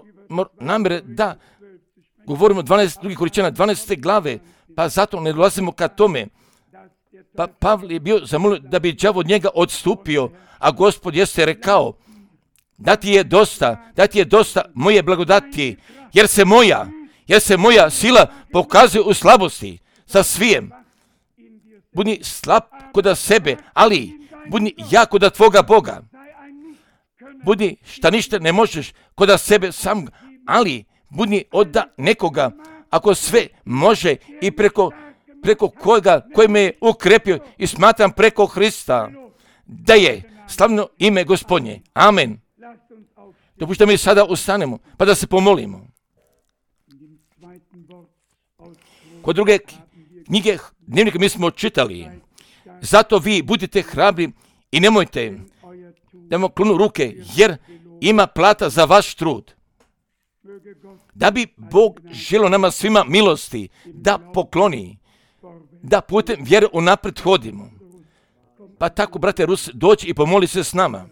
namjere da govorimo 12 drugih Korinčana 12. glave, pa zato ne dolazimo ka tome. Pa Pavle je bio zamolio da bi đavo od njega odstupio, a Gospod jeste rekao, da ti je dosta moje blagodati, jer se moja sila pokazuje u slabosti sa svijem. budi slab kod sebe, ali budi jak kod tvoga Boga. Budi šta ništa ne možeš kod sebe sam, ali budi od nekoga, ako sve može i preko koji me je ukrepio i smatram preko Hrista, da je slavno ime Gospodnje. Amen. Dopušta mi sada ustanemo, pa da se pomolimo. Kod druge knjige dnevnika mi smo čitali, zato vi budite hrabri i nemojte da vam klonu ruke, jer ima plata za vaš trud. Da bi Bog želio nama svima milosti, da pokloni, da putem vjere unaprijed hodimo. Pa tako, brate Rus, dođi i pomoli se s nama.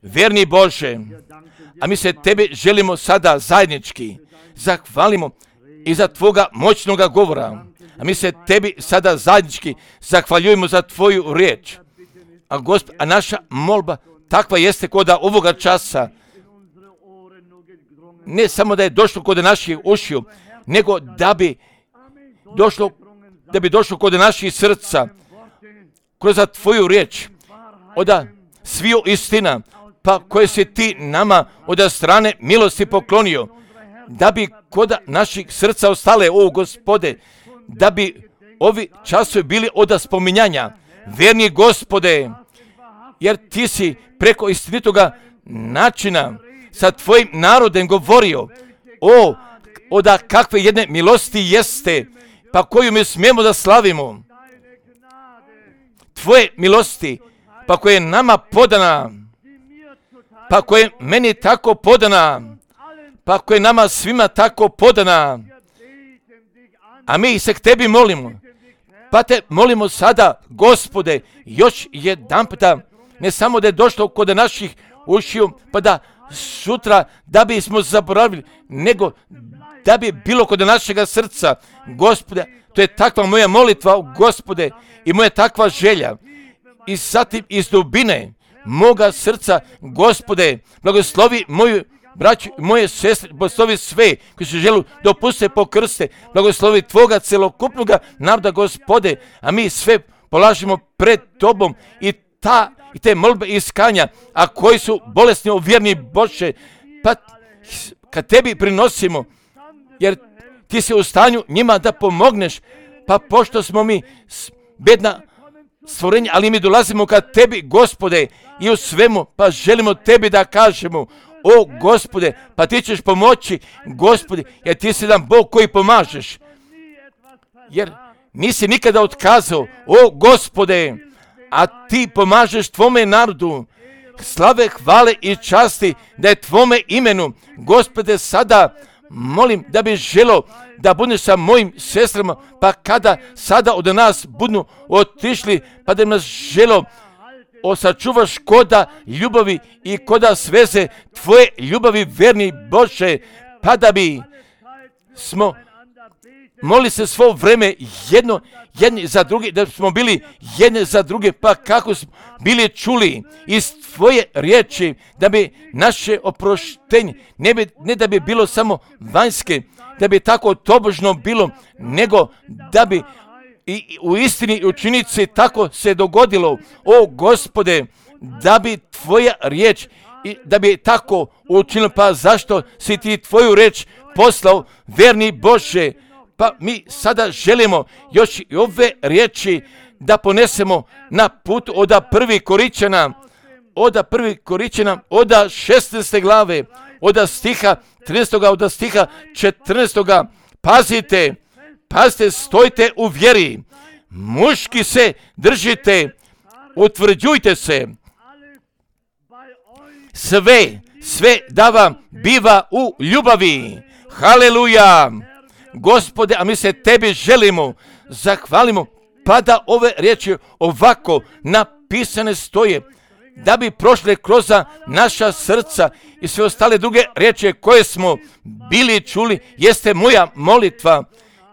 Verni Bože, a mi se Tebe želimo sada zajednički zahvalimo i za Tvoga moćnoga govora. A mi se Tebi sada zajednički zahvaljujemo za Tvoju riječ. A naša molba takva jeste kod ovoga časa. Ne samo da je došlo kod naših ušiju, nego da bi došlo kod naših srca, kroz Tvoju riječ, od sviju istina, pa koje si Ti nama od strane milosti poklonio, da bi kod naših srca ostale, o Gospode, da bi ovi časovi bili od spominjanja, verni Gospode, jer Ti si preko istinitoga načina sa Tvojim narodem govorio, od kakve jedne milosti jeste, pa koju mi smijemo da slavimo. Tvoje milosti, pa koje je nama podana, pa koje je meni tako podana, pa koje je nama svima tako podana, a mi se k Tebi molimo. Pa Te molimo sada, Gospode, još jedanputa, ne samo da je došlo kod naših ušiju, pa da sutra da bismo zaboravili, nego da bi bilo kod našega srca. Gospode, to je takva moja molitva, Gospode, i moja takva želja. I zatim iz dubine moga srca, Gospode, blagoslovi moju braću i moje sestre, blagoslovi sve koji se žele dopuste po krste, blagoslovi Tvoga celokupnoga naroda, Gospode, a mi sve polažemo pred Tobom i te molbe iskanja, a koji su bolesni u vjerni Bože, pa kad Tebi prinosimo, jer Ti si u stanju njima da pomogneš, pa pošto smo mi bedna stvorenja, ali mi dolazimo kad Tebi, Gospode, i u svemu, pa želimo Tebi da kažemo, o Gospode, pa Ti ćeš pomoći, Gospode, jer Ti si jedan Bog koji pomažeš, jer nisi nikada otkazao, o Gospode, a Ti pomažeš Tvome narodu. Slave, hvale i časti da je Tvome imenu. Gospode, sada molim da bi želo da budeš sa mojim sestrama, pa kada sada od nas budu otišli, pa da nas želo sačuvaš koda ljubavi i koda sveze Tvoje ljubavi, verni Bože, pa da bi smo moli se svo vreme jedni za drugi, da smo bili jedni za druge, pa kako smo bili čuli iz Tvoje riječi, da bi naše oproštenje, ne da bi bilo samo vanjske, da bi tako tobožno bilo, nego da bi i u istini i u činjenici tako se dogodilo, o Gospode, da bi Tvoja riječ, i da bi tako učinilo, pa zašto si Ti Tvoju riječ poslao, verni Bože. Pa mi sada želimo još i ove riječi da ponesemo na put od 1. Koričana, od 16. glave, od stiha 13. od stiha 14. Pazite, stojite u vjeri, muški se držite, utvrđujte se, sve da vam biva u ljubavi. Haleluja! Gospode, a mi se Tebi želimo, zahvalimo, pa da ove riječi ovako napisane stoje, da bi prošle kroz naša srca i sve ostale druge riječi koje smo bili čuli, jeste moja molitva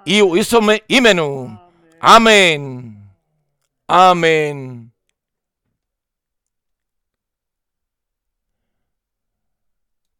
i u Isovome imenu. Amen. Amen.